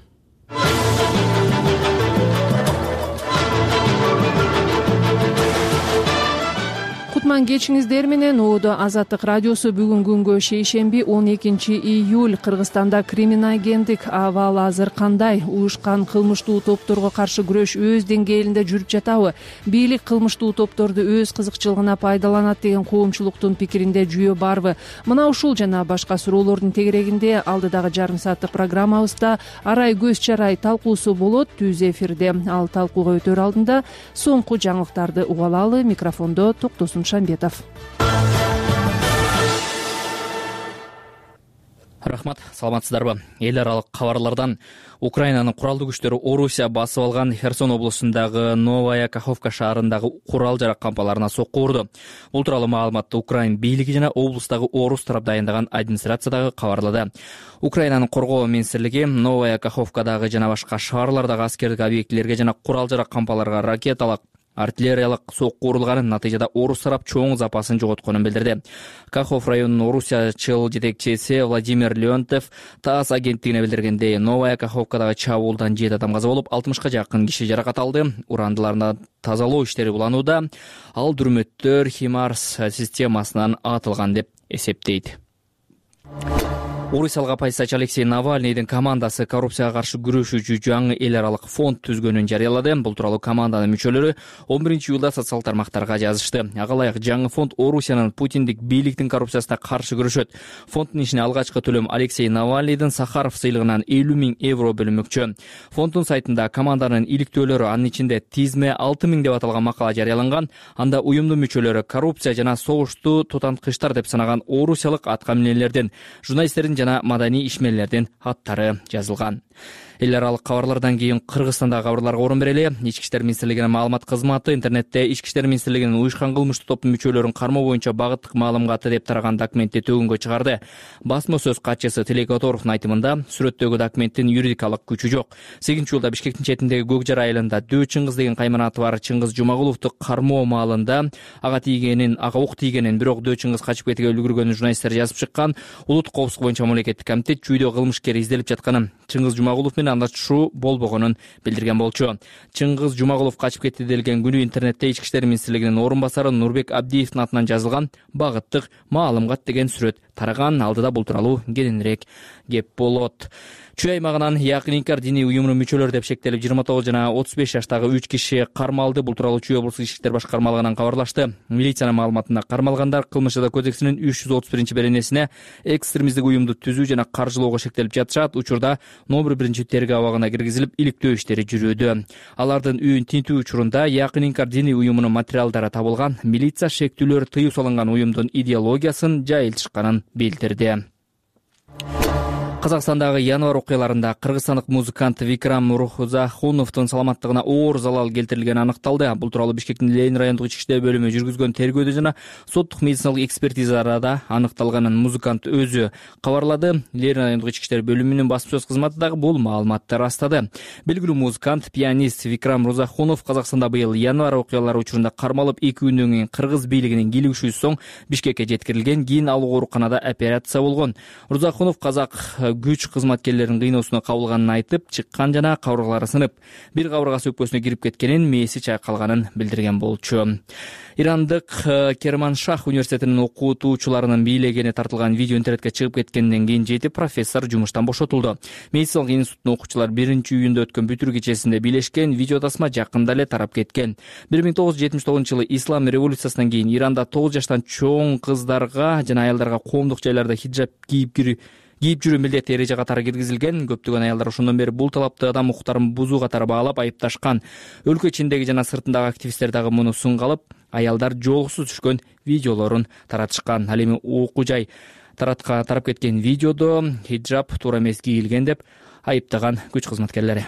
Кутман кечиңиздер менен. Оодо Азаттык радиосу бүгүн күнгө шейшемби он экинчи июль. Кыргызстанда криминогендик абал азыр кандай? Уюшкан кылмыштуу топторго каршы күрөш өз деңгээлинде жүрүп жатабы? Бийлик кылмыштуу топторду өз кызыкчылыгына пайдаланат деген коомчулуктун пикиринде жүйө барбы? Мына ушул жана башка суроолордун тегерегинде алдыдагы жарым сааттык программабызда арай көз чарай талкуусу болот. Түз эфирде ал талкууга өтөр алдында соңку жаңылыктарды угалалы. Микрофондо Токтосун Шамбетов. Рахмат, саламатсыздарбы? Эл аралык кабарлардан Украинанын куралдуу күчтөрү Орусия басып алган Херсон облусундагы Новая Каховка шаарындагы курал жарак кампаларына сокку урду. Бул тууралуу маалыматты Украин бийлиги жана облустагы орус тарап дайындаган администрациядагы кабарлады. Украинанын коргоо министрлиги Новая Каховкадагы жана башка шаарлардагы аскердик объектилерге жана курал жарак кампаларга ракеталык, артиллериялык сокку урулганын, натыйжада орус тарап чоң запасын жоготконун билдирди. Кахов районунун орусиячыл жетекчиси Владимир Леонтьев ТАСС агенттигине билдиргендей, Новая Каховкадагы чабуулдан жети адам каза болуп, алтымышка жакын киши жаракат алды. Урандыларына тазалоо иштери уланууда. Ал дүрмөттөр Химарс системасынан атылган деп эсептейт. Орусиялык оппозициячы Алексей Навальныйдын командасы коррупцияга каршы күрөшүүчү жаңы эл аралык фонд түзгөнүн жарыялады. Бул тууралуу команданын мүчөлөрү он биринчи июлда социалдык тармактарга жазышты. Ага ылайык жаңы фонд Орусиянын Путиндик бийликтин коррупциясына каршы күрөшөт. Фонддун ишине алгачкы төлөм Алексей Навальныйдын Сахаров сыйлыгынан элүү миң евро бөлүнмөкчү. Фонддун сайтында команданын иликтөөлөрү, анын ичинде тизме алты миң деп аталган макала жарыяланган. Анда уюмдун мүчөлөрү коррупция жана согушту тутанткычтар деп санаган орусиялык аткаминерлердин, журналисттердин жана маданий ишмерлердин аттары жазылган. Эл аралык кабарлардан кийин Кыргызстандагы кабарларга орун берели. Ички иштер министрлигинин маалымат кызматы интернетте Ички иштер министрлигинин уюшкан кылмыштуу топтун мүчөлөрүн кармоо боюнча багыттык маалыматы деп тараган документти төгүнгө чыгарды. Басма сөз катчысы Тилек Которовдун айтымында, сүрөттөгү документтин юридикалык күчү жок. сегизинчи июлда Бишкектин четиндеги Көкжар айылында Дөө Чыңгыз деген кайманаты бар Чыңгыз Жумагуловду кармоо маалында ага тийгенин, ага ок тийгенин, бирок Дөө Чыңгыз качып кетүүгө үлгүргөнүн журналисттер жазып чыккан. Улуттук коопсуздук боюнча мамлекеттик комитет чүйдө кылмышкер изделип жатканын, Чыңгыз Жумагулов менен андашуу болбогонун билдирген болчу. Чыңгыз Жумагулов качып кетти делген күнү интернетте Ички иштер министрлигинин орун басары Нурбек Абдиевдин атынан жазылган багыттык маалымат деген сүрөт тараган. Алдыда бул тууралуу кененирээк кеп болот. Чүй аймагынан Якын Инкар диний уюмунун мүчөлөрү деп шектелип жыйырма тогуз жана отуз беш жаштагы үч киши кармалды. Бул тууралуу Чүй облустук ички иштер башкармалыгынан кабарлашты. Милициянын маалыматында кармалгандар кылмыш жаза кодексинин үч жүз отуз биринчи беренесине экстремисттик уюмду түзүү жана каржылоого шектелип жатышат. Учурда номер биринчи тергөө абагына киргизилип, иликтөө иштери жүрүүдө. Алардын үйүн тинтүү учурунда Якын Инкар диний уюмунун материалдары табылган. Милиция шектүүлөр тыюу салынган уюмдун идеологиясын жайылтышканын билдирди. Казакстандагы январь окуяларында кыргызстандык музыкант Викрам Рузахуновдун саламаттыгына оор залал келтирилгени аныкталды. Бул тууралуу Бишкектин Ленин райондук ички иштер бөлүмү жүргүзгөн тергөөдө жана соттук медициналык экспертизаларда аныкталганын музыкант өзү кабарлады. Ленин райондук ички иштер бөлүмүнүн басма сөз кызматы дагы бул маалыматты растады. Белгилүү музыкант, пианист Викрам Рузахунов Казакстанда быйыл январь окуялары учурунда кармалып, эки күндөн кийин кыргыз бийлигинин кийлигишүүсү соң Бишкекке жеткирилген. Кийин ал ооруканада операция болгон. Рузахунов казак күч кызматкерлеринин кыйноосуна кабылганын айтып, чыккан жана кабыргалары сынып, бир кабыргасы өкпөсүнө кирип кеткенин, мээси чайкалганын билдирген болчу. Ирандык Керманшах университетинин окутуучуларынын бийлегени тартылган видео интернетке чыгып кеткенден кийин жети профессор жумуштан бошотулду. Медициналык институттун окуучулары биринчи июнда өткөн бүтүр кечесинде бийлешкен. Видео тасма жакында эле тарап кеткен. бир миң тогуз жүз жетимиш тогузунчу жылы ислам революциясынан кийин Иранда тогуз жаштан чоң кыздарга жана аялдарга коомдук жайларда хиджаб кийип кирүү кийип жүрүү милдет эреже катары киргизилген. Көптөгөн аялдар ошондон бери бул талапты адам укуктарын бузуу катары баалап айыпташкан. Өлкө ичиндеги жана сыртындагы активисттер дагы муну сынга алып, аялдар жоолуксуз түшкөн видеолорун таратышкан. Ал эми окуу жай таратка тарап кеткен видеодо хиджаб туура эмес кийилген деп айыптаган күч кызматкерлери.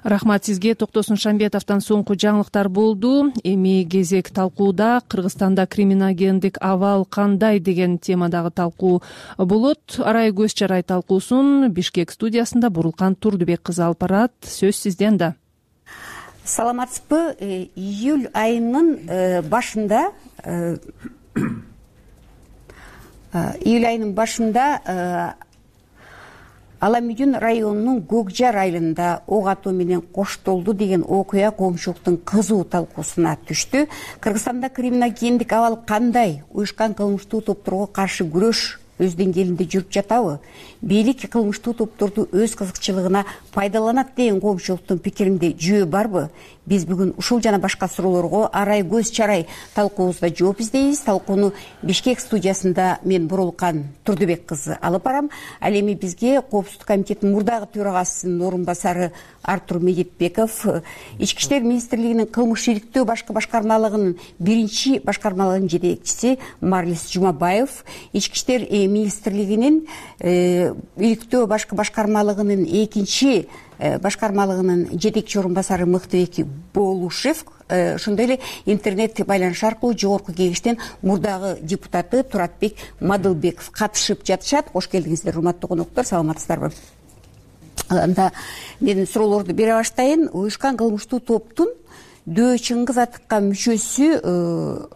Рахмат сизге. Токтосун Шамбетовдон соңку жаңылыктар болду. Эми кезек талкууда Кыргызстанда криминогендик абал кандай деген темадагы талкуу болот. Арай көз чарай талкуусун Бишкек студиясында Бурулкан Турдубек кызы алып барат. Сөз сизде анда. Саламатсызбы? Июль айынын башында июль айынын башында Аламүйдүн районунун Көкжар айылында ок атуу менен коштолду деген окуя коомчулуктун кызуу талкуусуна түштү. Кыргызстанда криминогендик абал кандай? Уюшкан кылмыштуу топторго каршы күрөш өз деңгээлинде жүрүп жатабы? Бийлик кылмыштуу топторду өз кызыкчылыгына пайдаланат деген коомчулуктун пикиринде жөө барбы? Биз бүгүн ушул жана башка суроолорго арай көз чарай талкуубузда жооп издейбиз. Талкууну Бишкек студиясында мен Бурулкан Турдубек кызы алып барам. Ал эми бизге Коопсуздук комитетинин мурдагы төрагасынын орун басары Артур Медетбеков, Ички иштер министрлигинин кылмыш иликтөө башкы башкармалыгынын биринчи башкармалыгынын жетекчиси Марлис Жумабаев, Ички иштер министрлигинин иликтөө башкы башкармалыгынын экинчи башкармалыгынын жетекчи орун басары Мыктыбек Болушев, ошондой эле интернет байланыш аркылуу жогорку кеңештин мурдагы депутаты Туратбек Мадылбеков катышып жатышат. Кош келдиңиздер, урматтуу коноктор, саламатсыздарбы? Анда мен суроолорду бере баштайын. Уюшкан кылмыштуу топтун Дөө Чыңгыз атыккан мүчөсү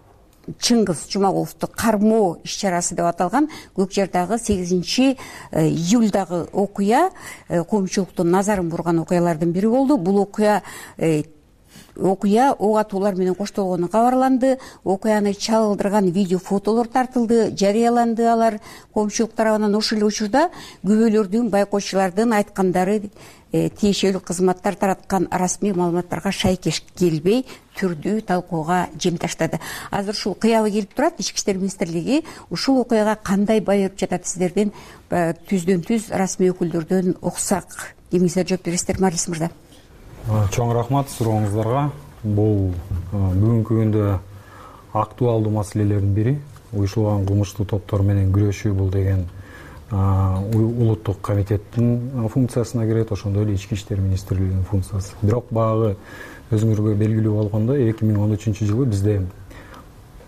Чыңгыз Жумагуловду кармоо иш-чарасы деп аталган Көкжардагы сегизинчи июлдагы окуя коомчулуктун назарын бурган окуялардын бири болду. Бул окуя окуя ок атуулар менен коштолгону кабарланды. Окуяны чагылдырган видео фотолор тартылды, жарыяланды. Алар коомчулук тарабынан ошол эле учурда күбөлөрдүн, байкоочулардын айткандары тиешелүү кызматтар тараткан расмий маалыматтарга шайкеш келбей түрдүү талкууга жем таштады. Азыр ушул кыябы келип турат. Ички иштер министрлиги ушул окуяга кандай баа берип жатат? Сиздерден түздөн түз расмий өкүлдөрдөн уксак. Эмиңиздер жооп бересиздер, Марлис мырза? Чоң рахмат сурооңуздарга. Бул бүгүнкү күндө актуалдуу маселелердин бири. Уюшулган кылмыштуу топтор менен күрөшүү бул деген улуттук комитеттин функциясына кирет, ошондой эле Ички иштер министрлигинин функциясы. Бирок багы өзүңөргө белгилүү болгондой эки миң он үчүнчү жылы бизде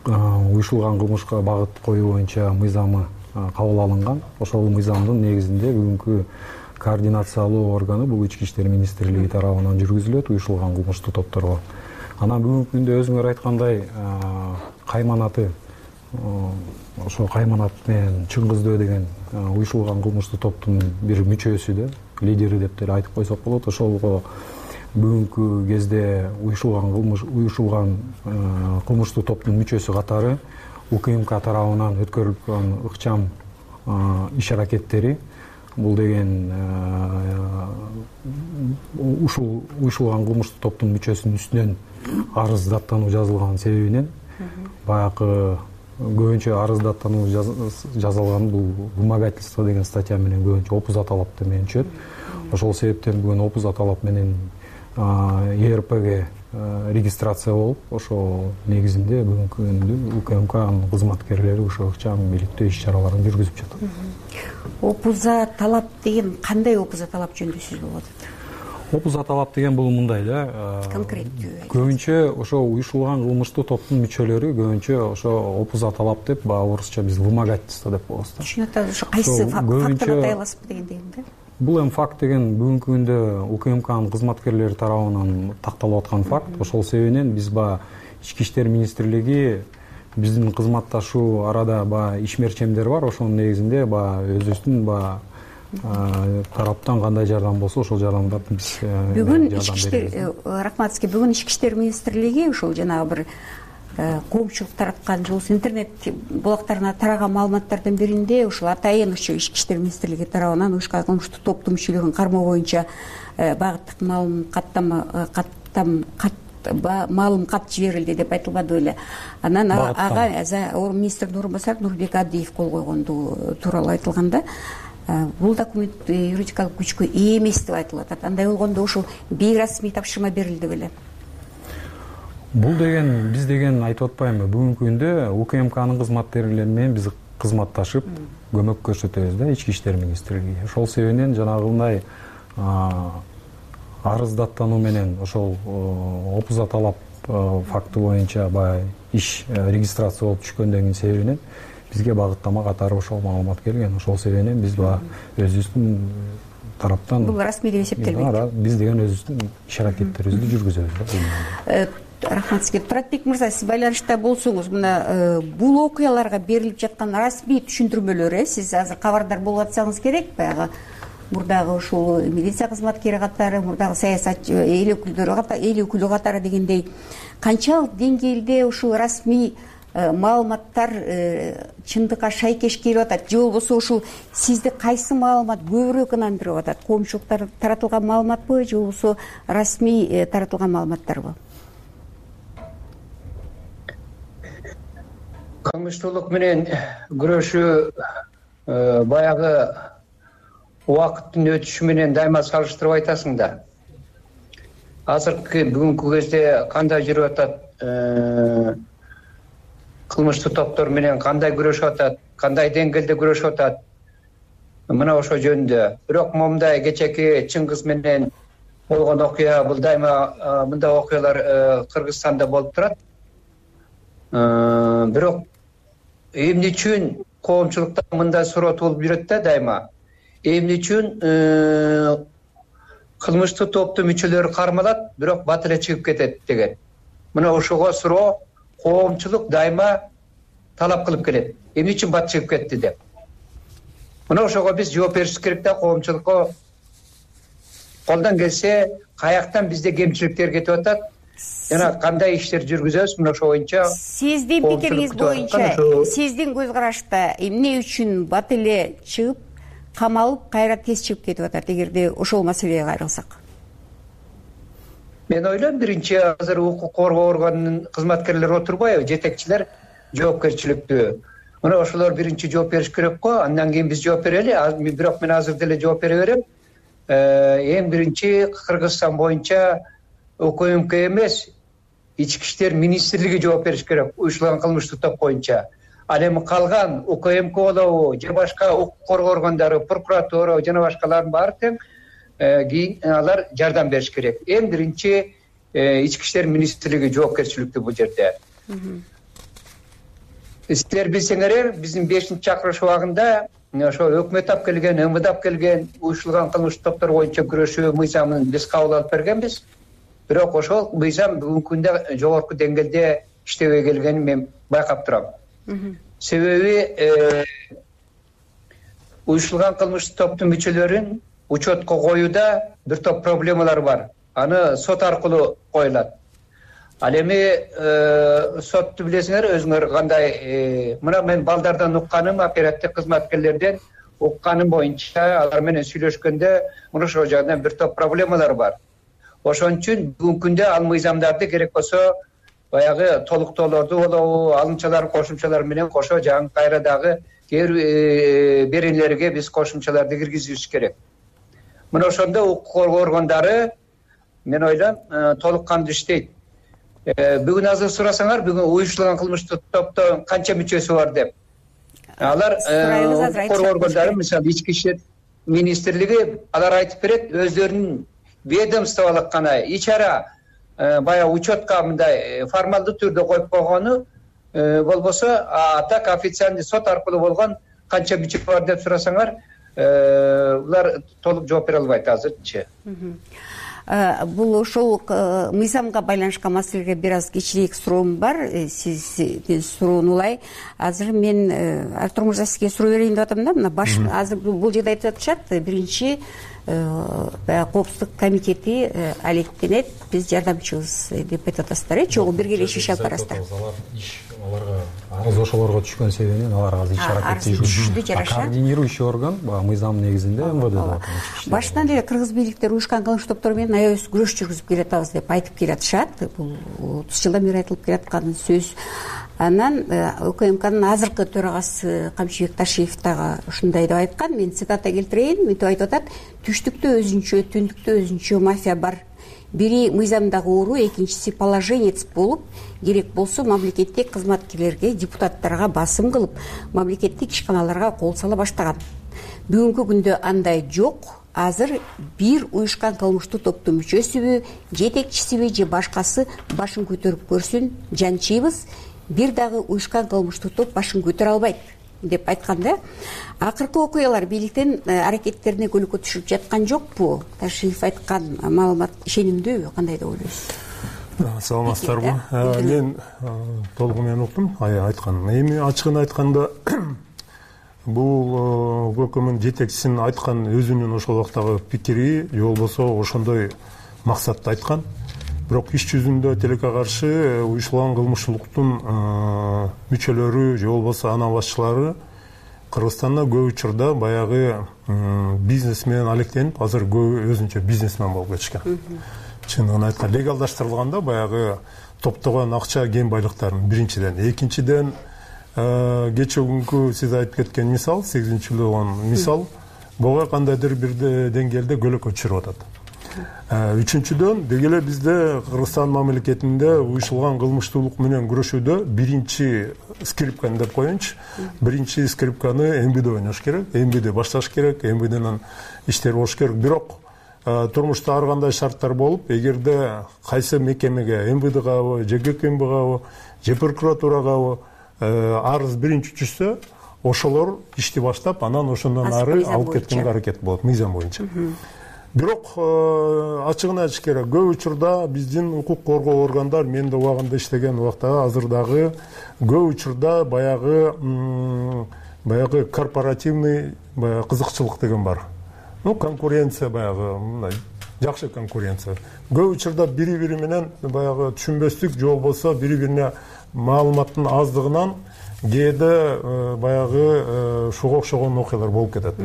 уюшулган кылмышка багыт коюу боюнча мыйзамы кабыл алынган. Ошол мыйзамдын негизинде бүгүнкү координациялуу органы бул Ички иштер министрлиги тарабынан жүргүзүлөт уюшулган кылмыштуу топторго. Анан бүгүнкү күндө өзүңөр айткандай кайманаты ошо кайманат менен Чыңгыз деген уюшулган кылмыштуу топтун бир мүчөсү да, лидери деп деле айтып койсок болот. Ошолго бүгүнкү кезде уюшулган кылмыш уюшулган кылмыштуу топтун мүчөсү катары УКМК тарабынан өткөрүлгөн ыкчам иш аракеттери бул деген ушул уюшулган кылмыштуу топтун мүчөсүнүн үстүнөн арыз даттануу жазылган себебинен баягы көбүнчө арыз даттануу жазылган бул вымогательство деген статья менен көбүнчө опуза талап менен түшөт. Ошол себептен бүгүн опуза талап менен ЕРПге регистрация болуп, ошол негизинде бүгүнкү күндө УКМКнын кызматкерлери ошо ыкчам иликтөө иш-чараларын жүргүзүп жатат. Опуза талап деген кандай опуза талап жөнүндө сөз болуп атат? Опуза талап деген бул мындай да. Конкреттүү. Көбүнчө ошо уюшулган кылмыштуу топтун мүчөлөрү көбүнчө ошо опуза талап деп, баягы орусча биз вымогательство деп коебуз да. Түшүнүп атабыз. Ошо кайсы фактты атайласызбы дегендей да? Бул эми факт деген бүгүнкү күндө УКМКнын кызматкерлери тарабынан такталып аткан факт. Ошол себебинен биз баягы Ички иштер министрлиги биздин кызматташуу арада баягы ишмерчемдер бар. Ошонун негизинде баягы өзүбүздүн баягы тараптан кандай жардам болсо ошол жардамдарды биз бүгүн Ички иштер рахмат сизге. Бүгүн Ички иштер министрлиги ушул жанагы бир коомчулук тараткан жолсуз интернет булактарына тараган маалыматтардын биринде ушул атайын ушул Ички иштер министрлиги тарабынан уюшкан кылмыштуу топтун мүчөлөрүн кармоо боюнча багыттык маалым каттама каттам маалым кат жиберилди деп айтылбады беле. Анан ага министрдин орун басары Нурбек Адиев кол койгондугу тууралуу айтылганда, бул документ юридикалык күчкө ээ эмес деп айтылып атат. Андай болгондо ушул бейрасмий тапшырма берилди беле? Бул деген биз деген айтып атпаймынбы, бүгүнкү күндө УКМКнын кызматкерлери менен биз кызматташып көмөк көрсөтөбүз да Ички иштер министрлиги. Ошол себебинен жанагындай арыздаттануу менен ошол опуза талап факты боюнча баягы иш регистрация болуп түшкөндөгүнүн себебинен бизге багыттама катары ошол маалымат келген. Ошол себебинен биз баягы өзүбүздүн тараптан бул расмий деп эсептелбейт. Биз деген өзүбүздүн иш аракеттерибизди жүргүзөбүз. Рахмат сизге. Туратбек мырза, сиз байланышта болсоңуз, мына бул окуяларга берилип жаткан расмий түшүндүрмөлөр, сиз азыр кабардар болуп атсаңыз керек. Баягы мурдагы ушул милиция кызматкери катары, мурдагы саясатчы эл өкүлдөрү катары, эл өкүлү катары дегендей канчалык деңгээлде ушул расмий маалыматтар чындыкка шайкеш келип атат, же болбосо ушул сизди кайсы маалымат көбүрөөк ынандырып атат? Коомчулуктар таратылган маалыматпы, же болбосо расмий таратылган маалыматтарбы? Кылмыштуулук менен күрөшүү баягы убакыттын өтүшү менен дайыма салыштырып айтасың да. Азыркы бүгүнкү кезде кандай жүрүп атат, кылмыштуу топтор менен кандай күрөшүп атат, кандай деңгээлде күрөшүп атат, мына ошо жөнүндө. Бирок момундай кечеки Чыңгыз менен болгон окуя, бул дайыма мындай окуялар Кыргызстанда болуп турат. Бирок эмне үчүн коомчулукта мындай суроо туулуп жүрөт да дайыма? Эмне үчүн кылмыштуу топтун мүчөлөрү кармалат, бирок бат эле чыгып кетет деген. Мына ошого суроо коомчулук дайыма талап кылып келет. Эмне үчүн бат чыгып кетти деп. Мына ошого биз жооп беришибиз керек да, коомчулукка колдон келсе каяктан бизде кемчиликтер кетип атат, жана кандай иштер жүргүзөбүз, мына ошо боюнча. Сиздин пикириңиз боюнча, сиздин көз карашта эмне үчүн бат эле чыгып, камалып, кайра тез чыгып кетип атат, эгерде ошол маселеге кайрылсак? Мен ойлойм, биринчи азыр укук коргоо органынын кызматкерлери отурбайбы, жетекчилер жоопкерчиликтүү. Мына ошолор биринчи жооп бериш керек го, андан кийин биз жооп берели. Бирок мен азыр деле жооп бере берем. Эң биринчи Кыргызстан боюнча УКМК эмес, Ички иштер министрлиги жооп бериш керек уюштурулган кылмыштуу топ боюнча. Ал эми калган УКМК болобу, же башка укук коргоо органдары, прокуратура жана башкалардын баары тең кийин алар жардам бериш керек. Эң биринчи Ички иштер министрлиги жоопкерчиликтүү бул жерде. Силер билсеңер, биздин бешинчи чакырыш убагында ошо өкмөт алып келген, МВД алып келген уюштурулган кылмыштуу топтор боюнча күрөшүү мыйзамын биз кабыл алып бергенбиз. Бирок ошол мыйзам бүгүнкү күндө жогорку деңгээлде иштебей келгенин мен байкап турам. Себеби уюштурулган кылмыштуу топтун мүчөлөрүн учетко коюуда бир топ проблемалар бар. Аны сот аркылуу коюлат. Ал эми сотту билесиңер өзүңөр кандай, мына мен балдардан укканым, оперативдик кызматкерлерден укканым боюнча алар менен сүйлөшкөндө мына ошол жагынан бир топ проблемалар бар. Ошон үчүн бүгүнкү күндө ал мыйзамдарды керек болсо баягы толуктоолорду болобу, алымчалар, кошумчалар менен кошо жаңы кайра дагы кээ бир беренелерге биз кошумчаларды киргизишибиз керек. Мына ошондо укук коргоо органдары мен ойлойм толук кандуу иштейт. Бүгүн азыр сурасаңар, бүгүн уюштурулган кылмыштуу топтон канча мүчөсү бар деп. Алар укук коргоо органдары, мисалы Ички иштер министрлиги, алар айтып берет, өздөрүнүн ведомстволук гана ичара баягы учетко мындай формалдуу түрдө коюп койгону болбосо, а так официальный сот аркылуу болгон канча мүчө бар деп сурасаңар, булар толук жооп бере албайт азырчы. Бул ошол мыйзамга байланышкан маселеге бир аз кичиреак суроом бар. Сиздин суроону улай. Азыр мен Артур мырза сизге суроо берейин деп атам да. Мына баш азыр бул жерде айтып атышат, биринчи коопсуздук комитети алектенет, биз жардамчыбыз деп айтып атасыздар, э? Чогуу биргелешип иш алып барасыздар. Аларга арыз ошолорго түшкөн себебинен алар азыр иш аракетти жүргүзүшүп, координирующий орган баягы мыйзам негизинде МВД. Башынан эле кыргыз бийликтери уюшкан кылмыштуу топтор менен аябай күрөш жүргүзүп келатабыз деп айтып келатышат. Бул отуз жылдан бери айтылып келаткан сөз. Анан УКМКнын азыркы төрагасы Камчыбек Ташиев дагы ушундай деп айткан. Мен цитата келтирейин. Мынтип айтып атат: түштүктө өзүнчө, түндүктө өзүнчө мафия бар. Бири мыйзамдагы уру, экинчиси положенец болуп, керек болсо мамлекеттик кызматкерлерге, депутаттарга басым кылып, мамлекеттик ишканаларга кол сала баштаган. Бүгүнкү күндө андай жок. азыр бир уюшкан кылмыштуу топтун мүчөсүбү, жетекчисиби же башкасы башын көтөрүп көрсүн, жанчыйбыз, бир дагы уюшкан кылмыштуу топ башын көтөрө албайт деп айтканда, акыркы окуялар бийликтин аракеттерине көлөкө түшүп жаткан жокпу? Ташиев айткан маалымат ишенимдүүбү? Кандай деп ойлойсуз? Саламатсыздарбы? Мен толугу менен уктум айтканын. Эми ачыгын айтканда бул УКМдын жетекчисинин айткан өзүнүн ошол убактагы пикири же болбосо ошондой максатты айткан. Бирок иш жүзүндө тилекке каршы уюштурулган кылмышчылыктын мүчөлөрү же болбосо анын башчылары Кыргызстанда көп учурда баягы бизнес менен алектенип, азыр көп өзүнчө бизнесмен болуп кетишкен. Чындыгын айтканда легалдаштырылганда баягы топтогон акча кем байлыктарын биринчиден, экинчиден кече күнкү сиз айтып кеткен мисал, сегизинчи жылдагы мисал буга кандайдыр бир деңгээлде көлөкө түшүрүп атат. Үчүнчүдөн деги эле бизде Кыргызстан мамлекетинде уюштурулган кылмыштуулук менен күрөшүүдө биринчи скрипканы деп коеюнчу, биринчи скрипканы МВД ойнош керек, МВД башташ керек, МВДнын иштери болуш керек. Бирок турмушта ар кандай шарттар болуп, эгерде кайсы мекемеге, МВДгабы, же ГКМБгабы, же прокуратурагабы арыз биринчи түшсө, ошолор ишти баштап, анан ошондон ары алып кеткенге аракет болот мыйзам боюнча. Бирок ачыгын айтыш керек, көп учурда биздин укук коргоо органдар, мен да убагында иштеген убакта азыр дагы көп учурда баягы баягы корпоративный баягы кызыкчылык деген бар. Ну, конкуренция баягы мындай жакшы конкуренция. Көп учурда бири-бири менен баягы түшүнбөстүк же болбосо бири-бирине маалыматтын аздыгынан кээде баягы шуга окшогон окуялар болуп кетет.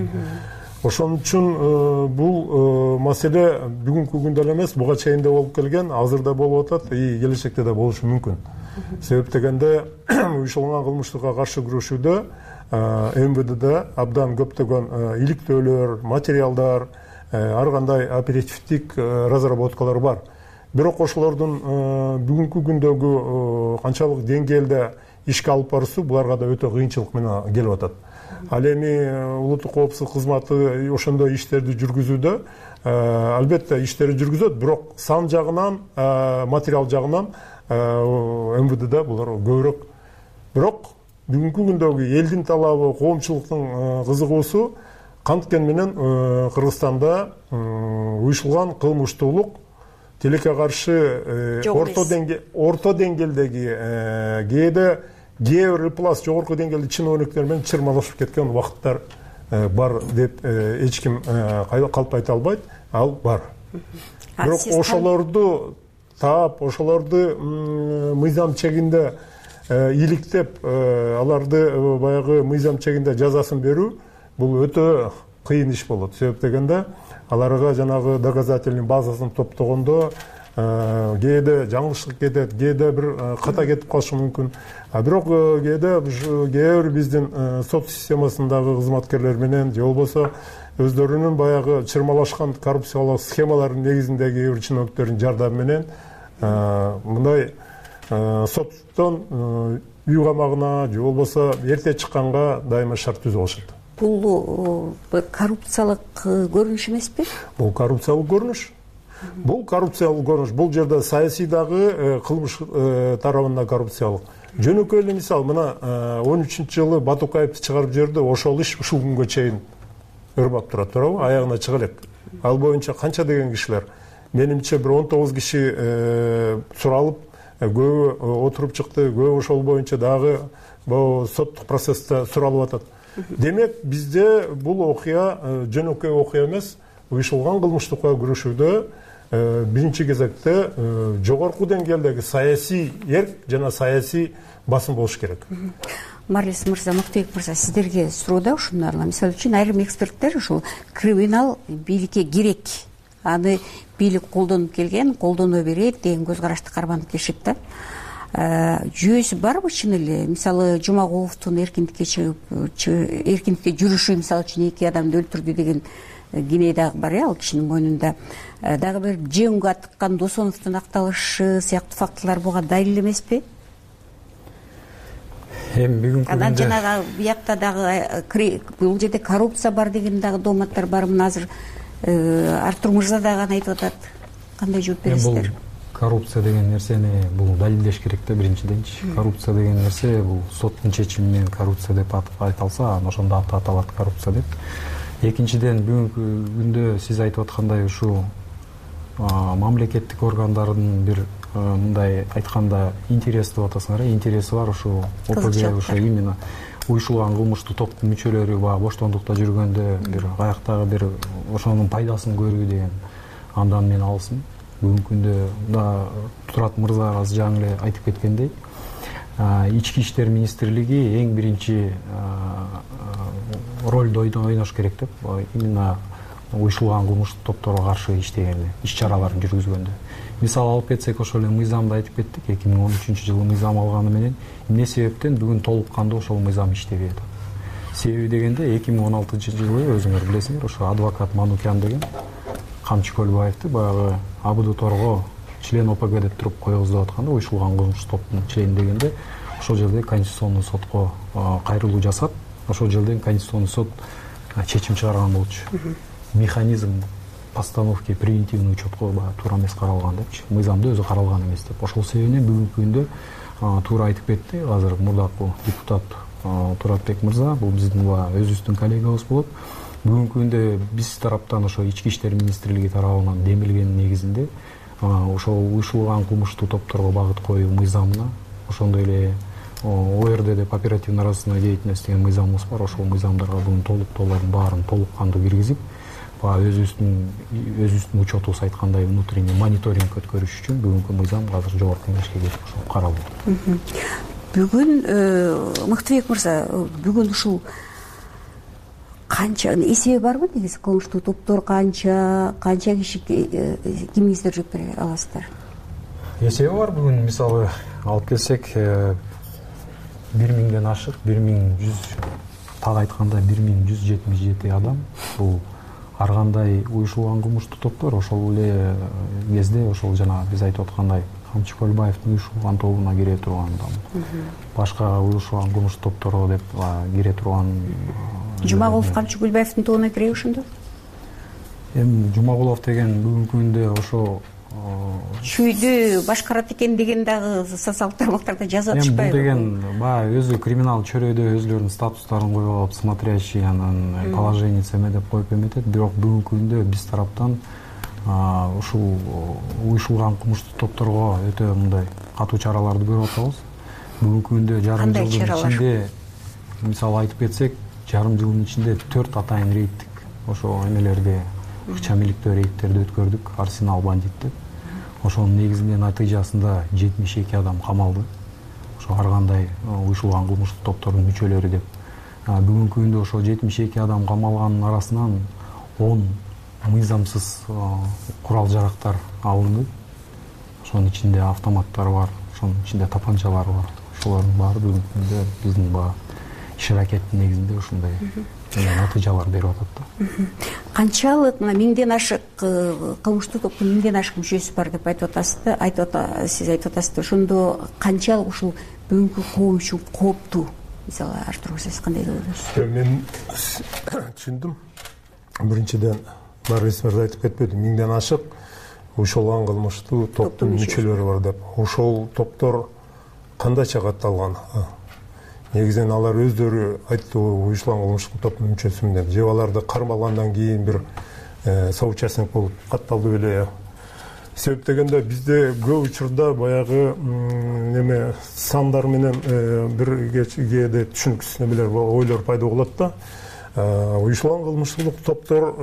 Ошон үчүн бул маселе бүгүнкү күндө эле эмес, буга чейин да болуп келген, азыр да болуп атат, и келечекте да болушу мүмкүн. Себеп дегенде уюштурулган кылмыштыкка каршы күрөшүүдө МВДда абдан көптөгөн иликтөөлөр, материалдар, ар кандай оперативдик разработкалар бар. Бирок ошолордун бүгүнкү күндөгү канчалык деңгээлде ишке алып баруусу буларга да өтө кыйынчылык менен келип атат. Ал эми улуттук коопсуздук кызматы ошондой иштерди жүргүзүүдө албетте иштери жүргүзөт, бирок сан жагынан, материал жагынан МВДда булар көбүрөөк. Бирок бүгүнкү күндөгү элдин талабы, коомчулуктун кызыгуусу канткен менен Кыргызстанда уюштурулган кылмыштуулук тилекке каршы орто деңгээлдеги кээде кээ пласт жогорку деңгээлде чиновниктер менен чырмалашып кеткен убакыттар бар деп эч ким калп айта албайт, ал бар. Бирок ошолорду таап, ошолорду мыйзам чегинде иликтеп, аларды баягы мыйзам чегинде жазасын берүү бул өтө кыйын иш болот. Себеп дегенде аларга жанагы доказательный базасын топтогондо кээде жаңылыштык кетет, кээде бир ката кетип калышы мүмкүн. А бирок кээде кээ бир биздин сот системасындагы кызматкерлер менен же болбосо өздөрүнүн баягы чырмалашкан коррупциялык схемалардын негизиндеги бир чиновниктердин жардамы менен мындай соттон үй камагына же болбосо эрте чыкканга дайыма шарт түзүп алышат. Бул коррупциялык көрүнүш эмеспи? Бул коррупциялык көрүнүш. Бул коррупциялык көрүнүш. Бул жерде саясий дагы кылмыш тарабында коррупциялык. Жөнөкөй эле мисал, мына он үчүнчү жылы Батукаевди чыгарып жиберди, ошол иш ушул күнгө чейин өрбөп турат, туурабы? Аягына чыга элек. Ал боюнча канча деген кишилер, менимче бир он тогуз киши суралып, көбү отуруп чыкты, көбү ошол боюнча дагы соттук процессте суралып атат. Демек, бизде бул окуя жөнөкөй окуя эмес, уюштурулган кылмыштыкка күрөшүүдө биринчи кезекте жогорку деңгээлдеги саясий эрк жана саясий басым болуш керек. Марлес мырза, Муктубек мырза, сиздерге суроо ушундай. Мисалы үчүн айрым эксперттер ушул криминал бийликке керек, аны бийлик колдонуп келген, колдоно берет деген көз карашты карманып келишет да. Жүйөсү барбы чын эле? Мисалы Жумагуловдун эркиндикке чыгып, эркиндикке жүрүшү мисалы үчүн эки адамды өлтүрдү деген кине дагы бар, ал кишинин мойнунда. Дагы бир жеңүүгө атыккан Досоновдун акталышы сыяктуу фактылар буга далил эмеспи? Эми бүгүнкү күндө анан жанагы биякта дагы бул жерде коррупция бар деген дагы дооматтар бар. Мына азыр Артур мырза дагы аны айтып атат. Кандай жооп бересиздер? Коррупция деген нерсени бул далилдеш керек да. Биринчиденчи коррупция деген нерсе бул соттун чечими менен коррупция деп айта алса, анан ошондо аты аталат коррупция деп. Экинчиден бүгүнкү күндө сиз айтып аткандай ушул мамлекеттик органдардын бир мындай айтканда интереси деп атасыңар, интереси бар ушул ОПГ, ошо именно уюшулган кылмыштуу топтун мүчөлөрү баягы боштондукта жүргөндө бир каяктагы бир ошонун пайдасын көрүү деген андан мен алсын. Бүгүнкү күндө да Турат мырза азыр жаңы эле айтып кеткендей, ички иштер министрлиги эң биринчи ролду ойнош керек деп, именно уюшулган кылмыштуу топторго каршы иштегенде, иш-чараларын жүргүзгөндө. Мисалы алып кетсек, ошол эле мыйзамды айтып кеттик. эки миң он үчүнчү жылы мыйзам алганы менен эмне себептен бүгүн толук кандуу ошол мыйзам иштебей атат? Себеби дегенде эки миң он алтынчы жылы өзүңөр билесиңер, ошо адвокат Манукян деген Камчы Көлбаевди баягы АБД-торго член ОПГ деп туруп койгуздуп атканда, уюшулган кылмыштуу топтун члени дегенде, ошол жерде Конституционный сотко кайрылуу жасап, ошол жерден Конституционный сот чечим чыгарган болчу. Механизм постановки превентивный учетко туура эмес каралган депчи, мыйзамда өзү каралган эмес деп. Ошол себептен бүгүнкү күндө туура айтып кетти азыр мурдакы депутат Туратбек мырза, бул биздин өзүбүздүн коллегабыз болот. Бүгүнкү күндө биз тараптан ошо ички иштер министрлиги тарабынан демилген негизинде ошол уюшулган кылмыштуу топторго багыт коюу мыйзамына, ошондой эле ОРД деп оперативно-розыскная деятельность деген мыйзамыбыз бар. Ошол мыйзамдарга бүгүн толуктоолордун баарын толук кандуу киргизип, өзүбүздүн өзүбүздүн учетубуз айткандай внутренний мониторинг өткөрүш үчүн бүгүнкү мыйзам азыр жогорку кеңешке кетип ошол каралуу. Бүгүн Мыктыбек мырза, бүгүн ушул канча эсеби барбы негизи кылмыштуу топтор канча, канча киши кимиңиздер жооп бере аласыздар? Эсеби бар бүгүн, мисалы алып келсек, бир миңден ашык, бир миң жүз так айтканда бир миң жүз жетимиш жети адам бул ар кандай уюшулган кылмыштуу топтор. Ошол эле кезде ошол жана биз айтып аткандай Камчы Көлбаевдин уюшулган тобуна кире турган, башка уюшулган кылмыштуу топторго деп кире турган. Жумагулов Камчы Көлбаевдин тобуна киреби ошондо? Эми Жумагулов деген бүгүнкү күндө ошо чүйдү башкарат экен деген дагы социалдык тармактарда жазып атышпайбы? Бул деген баягы өзү криминал чөрөдө өзүлөрүнүн статустарын коюп алып, смотрящий, анан положенец эме деп коюп эметет. Бирок бүгүнкү күндө биз тараптан ушул уюшулган кылмыштуу топторго өтө мындай катуу чараларды көрүп атабыз. Бүгүнкү күндө жарым жылдын ичинде, мисалы айтып кетсек, жарым жылдын ичинде төрт атайын рейдтик ошо эмелерди, ыкча миликтөө рейдтерди өткөрдүк, Арсенал бандит деп. Ошонун негизинде натыйжасында жетимиш эки адам камалды. Ошо ар кандай уюшулган кылмыштуу топтордун мүчөлөрү деп. Бүгүнкү күндө ошо жетимиш эки адам камалганын арасынан он мыйзамсыз курал жарактар алынды. Ошонун ичинде автоматтар бар, ошонун ичинде тапанчалар бар. Ошолордун баары бүгүнкү күндө биздин баягы иш аракеттин негизинде ушундай натыйжалар берип атат да. Канчалык мына миңден ашык кылмыштуу топтун миңден ашык мүчөсү бар деп айтып атасыз да, айтып ата сиз айтып атасыз да. Ошондо канчалык ушул бүгүнкү коом үчүн кооптуу? Мисалы Артур, сиз кандай деп ойлойсуз? Мен түшүндүм. Биринчиден бар эсмерде айтып кетпеди, миңден ашык уюшулган кылмыштуу топтун мүчөлөрү бар деп. Ошол топтор кандайча катталган? Негизинен алар өздөрү айтты, уюшулган кылмыштуу топтун мүчөсүмүн деп. Же аларды кармалгандан кийин бир соучастник болуп катталды беле? Себеп дегенде бизде көп учурда баягы неме сандар менен бир кээде түшүнүксүз немелер, ойлор пайда болот да. Уюшулган кылмыштуу топтор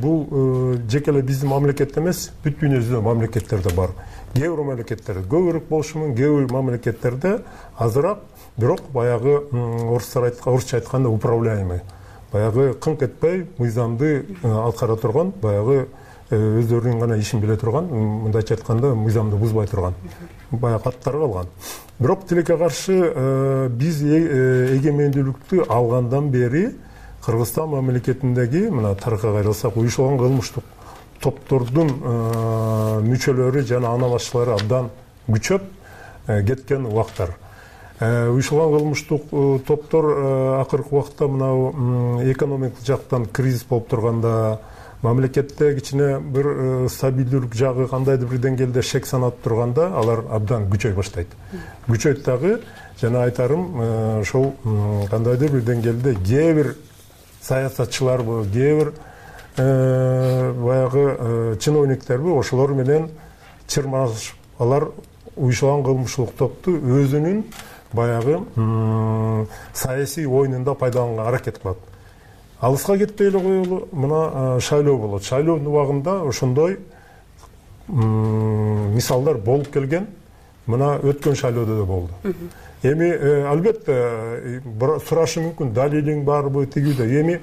бул жеке эле биздин мамлекетте эмес, бүт дүйнө жүзүндө мамлекеттерде бар. Кээ бир мамлекеттерде көбүрөөк болушу мүмкүн, кээ бир мамлекеттерде азыраак, бирок баягы орустар орусча айтканда управляемый. Баягы кыңк этпей мыйзамды аткара турган, баягы өздөрүнүн гана ишин биле турган, мындайча айтканда мыйзамды бузбай турган баягы каттар калган. Бирок тилекке каршы биз эгемендүүлүктү алгандан бери Кыргызстан мамлекетиндеги мына тарыхка кайрылсак, уюшулган кылмыштуу топтордун мүчөлөрү жана аналашчылары абдан күчөп кеткен убактар. Уюшулган кылмыштуу топтор акыркы убакта мына экономикалык жактан кризис болуп турганда, мамлекетте кичине бир стабилдүүлүк жагы кандайдыр бир деңгээлде шек санап турганда алар абдан күчөй баштайт. Күчөйт дагы жана айтарым ошол кандайдыр бир деңгээлде кээ бир саясатчыларбы, кээ бир баягы чиновниктерби ошолор менен чырмаш алар уюшулган кылмыштык топту өзүнүн баягы саясий оюнунда пайдаланганга аракет кылат. Алыска кетпей эле коелу, мына шайлоо болот. Шайлоонун убагында ошондой мисалдар болуп келген. Мына өткөн шайлоодо да болду. Эми албетте сурашы мүмкүн, далилиң барбы, тигиде. Эми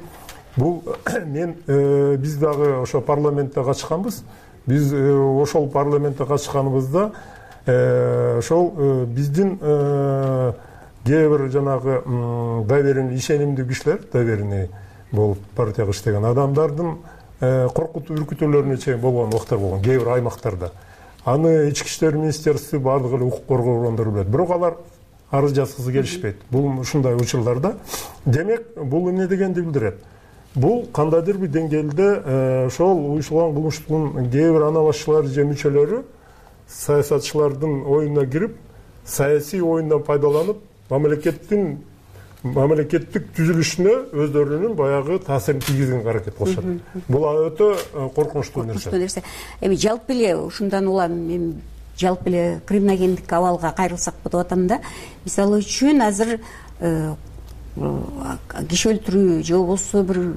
бул мен биз дагы ошо парламентте катышканбыз. Биз ошол парламентте катышканыбызда ошол биздин кээ бир жанагы доверенный, ишенимдүү кишилер, доверенный болуп партияга иштеген адамдардын коркутуп үркүтүүлөрүнө чейин болгон убактар болгон кээ бир аймактарда. Аны ички иштер министерствосу баардык эле укук коргоо органдары билет. Бирок алар арыз жазгысы келишпейт. Бул ушундай учурларда. Демек, бул эмне дегенди билдирет? Бул кандайдыр бир деңгээлде ошол уюшулган кылмыштын кээ бир ана башчылары же мүчөлөрү саясатчылардын оюнуна кирип, саясий оюндан пайдаланып, мамлекеттин мамлекеттик түзүлүшүнө өздөрүнүн баягы таасирин тийгизгенге аракет кылышат. Бул өтө коркунучтуу нерсе. Эми жалпы эле ушундан улам мен жалпы эле криминогендик абалга кайрылсакпы деп атам да. Мисалы үчүн азыр киши өлтүрүү же болбосо бир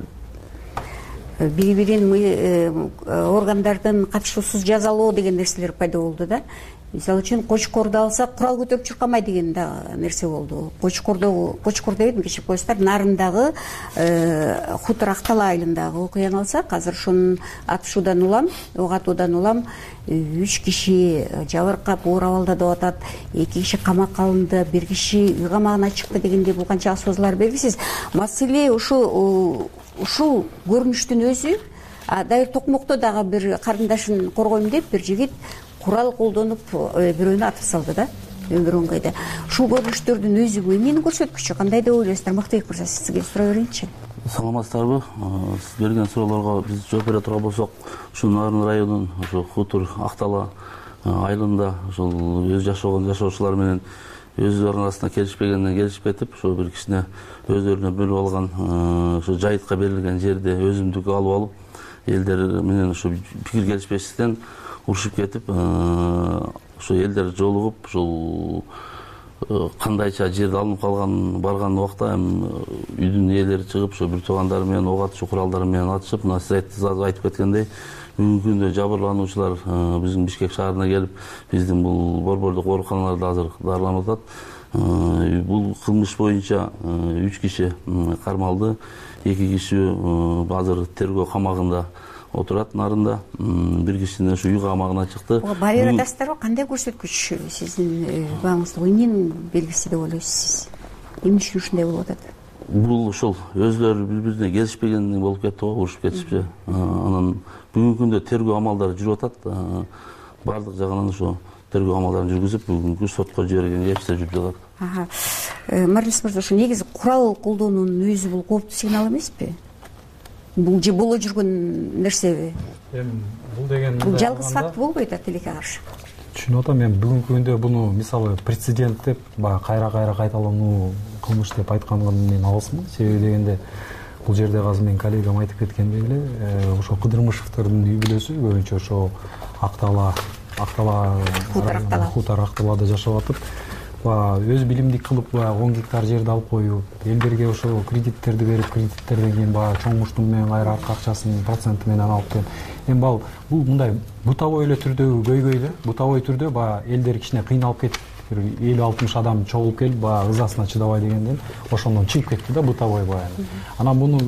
бири-бирин органдардын катышуусуз жазалоо деген нерселер пайда болду да. Мисалы үчүн Кочкорду алсак, курал көтөрүп чуркамай деген да нерсе болду. Кочкордо, Кочкор дебедим, кечирип коесуздар, Нарындагы Хутор Актала айылындагы окуяны алсак, азыр ошонун атышуудан улам, ок атуудан улам үч киши жабыркап, оор абалда деп атат, эки киши камакка алынды, бир киши үй камагына чыкты дегенде бул канча сөзлөр белгисиз. Маселе ушу ушул көрүнүштүн өзү. Дайыр Токмокто дагы бир карындашын коргойм деп бир жигит курал колдонуп бирөөнү атып салды да, өмүр оңгойдо. Ушул көрүнүштөрдүн өзү эмнени көрсөткүчү? Кандай деп ойлойсуздар? Мактыбек мырза, сизге сурай берейинчи. Саламатсыздарбы? Сиз берген суроолорго биз жооп бере турган болсок, ушул Нарын районунун ошо Хутор Актала айылында ошол өз жашаган жашоочулар менен өздөрүнүн арасында келишпегенден келишип кетип, ошо бир кичине өздөрүнө бөлүп алган ошо жайытка берилген жерде өзүмдүк алып алып, элдер менен ошо пикир келишпестиктен урушуп кетип, ошо элдер жолугуп, ошол кандайча жерде алынып калган барган убакта эми үйдүн ээлери чыгып, ошо бир туугандары менен ок атышуу куралдары менен атышып, мына сиз айтып кеткендей, бүгүнкү күндө жабырлануучулар биздин Бишкек шаарына келип, биздин бул борбордук ооруканаларда азыр дарыланып атат. Бул кылмыш боюнча үч киши кармалды, эки киши азыр тергөө камагында отурат Нарында, бир кишинин ушу үй камагына чыкты. Баары атасыздарбы? Кандай көрсөткүч сиздин бааңызда эмненин белгиси деп ойлойсуз сиз? Эмне үчүн ушундай болуп атат? Бул ошол өздөрү бири-бирине келишпегенден болуп кетти го, урушуп кетишпи. Анан бүгүнкү күндө тергөө амалдары жүрүп атат. Бардык жагынан ошо тергөө амалдарын жүргүзүп, бүгүнкү сотко жиберген ишler жүрүп жатат. Марлис мырза, ошо негизи курал колдонуунун өзү бул кооптуу сигнал эмеспи? Бул же боло жүргөн нерсеби? Эми бул деген бул жалгыз факт болбойт да тилекке каршы. Түшүнүп атам, мен бүгүнкү күндө буну мисалы прецедент деп, баягы кайра-кайра кайталануу кылмыш деп айткандан мен алысмын. Себеби дегенде бул жерде азыр менин коллегам айтып кеткендей эле, ошо Кыдырмышевдердин үй бүлөсү көбүнчө ошо Актала, Актала, Хутор Акталада жашап атып, өз билимдик кылып он гектар жерди алып коюп, элдерге ошо кредиттерди берип, кредиттерден кийин баягы чоң муштун менен кайра арка акчасын проценти менен алып келип, эми бул бул мындай бутовой эле түрдөгү көйгөй эле, бутовой түрдө баягы элдер кичине кыйналып кетип, бир элүү алтымыш адам чогулуп келип, баягы ызасына чыдабай дегенден ошондон чыгып кетти да бутовой баягы. Анан буну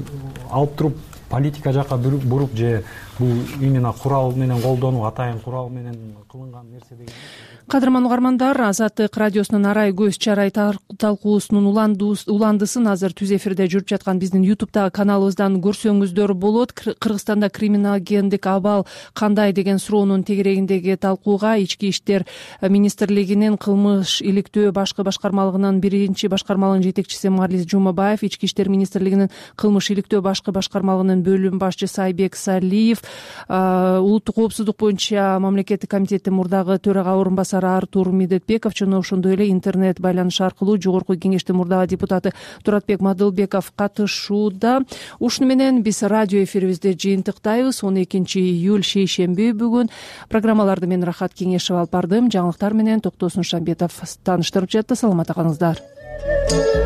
алып туруп политика жака буруп же бул именно курал менен колдонуу, атайын курал менен кылынган нерсе деген. Кадырман угармандар, Азаттык радиосунун арай көз чарай талкуусунун уландысын азыр түз эфирде жүрүп жаткан биздин ютубтагы каналыбыздан көрсөңүздөр болот. Кыргызстанда криминогендик абал кандай деген суроонун тегерегиндеги талкууга Ички иштер министрлигинин кылмыш иликтөө башкы башкармалыгынын биринчи башкармалыгынын жетекчиси Марлис Жумабаев, Ички иштер министрлигинин кылмыш иликтөө башкы башкармалыгынын бөлүмүнүн бөлүм башчысы Айбек Салиев, улуттук коопсуздук боюнча мамлекеттик комитеттин мурдагы төрага орун басары Артур Медетбеков жана ошондой эле интернет байланыш аркылуу жогорку кеңештин мурдагы депутаты Туратбек Мадылбеков катышууда. Ушуну менен биз радио эфирибизди жыйынтыктайбыз. он экинчи июль шейшемби бүгүн. Программаларды мен Рахат Кеңешев алып бардым. Жаңылыктар менен Токтосун Шамбетов тааныштырып жатты. Саламатта калыңыздар.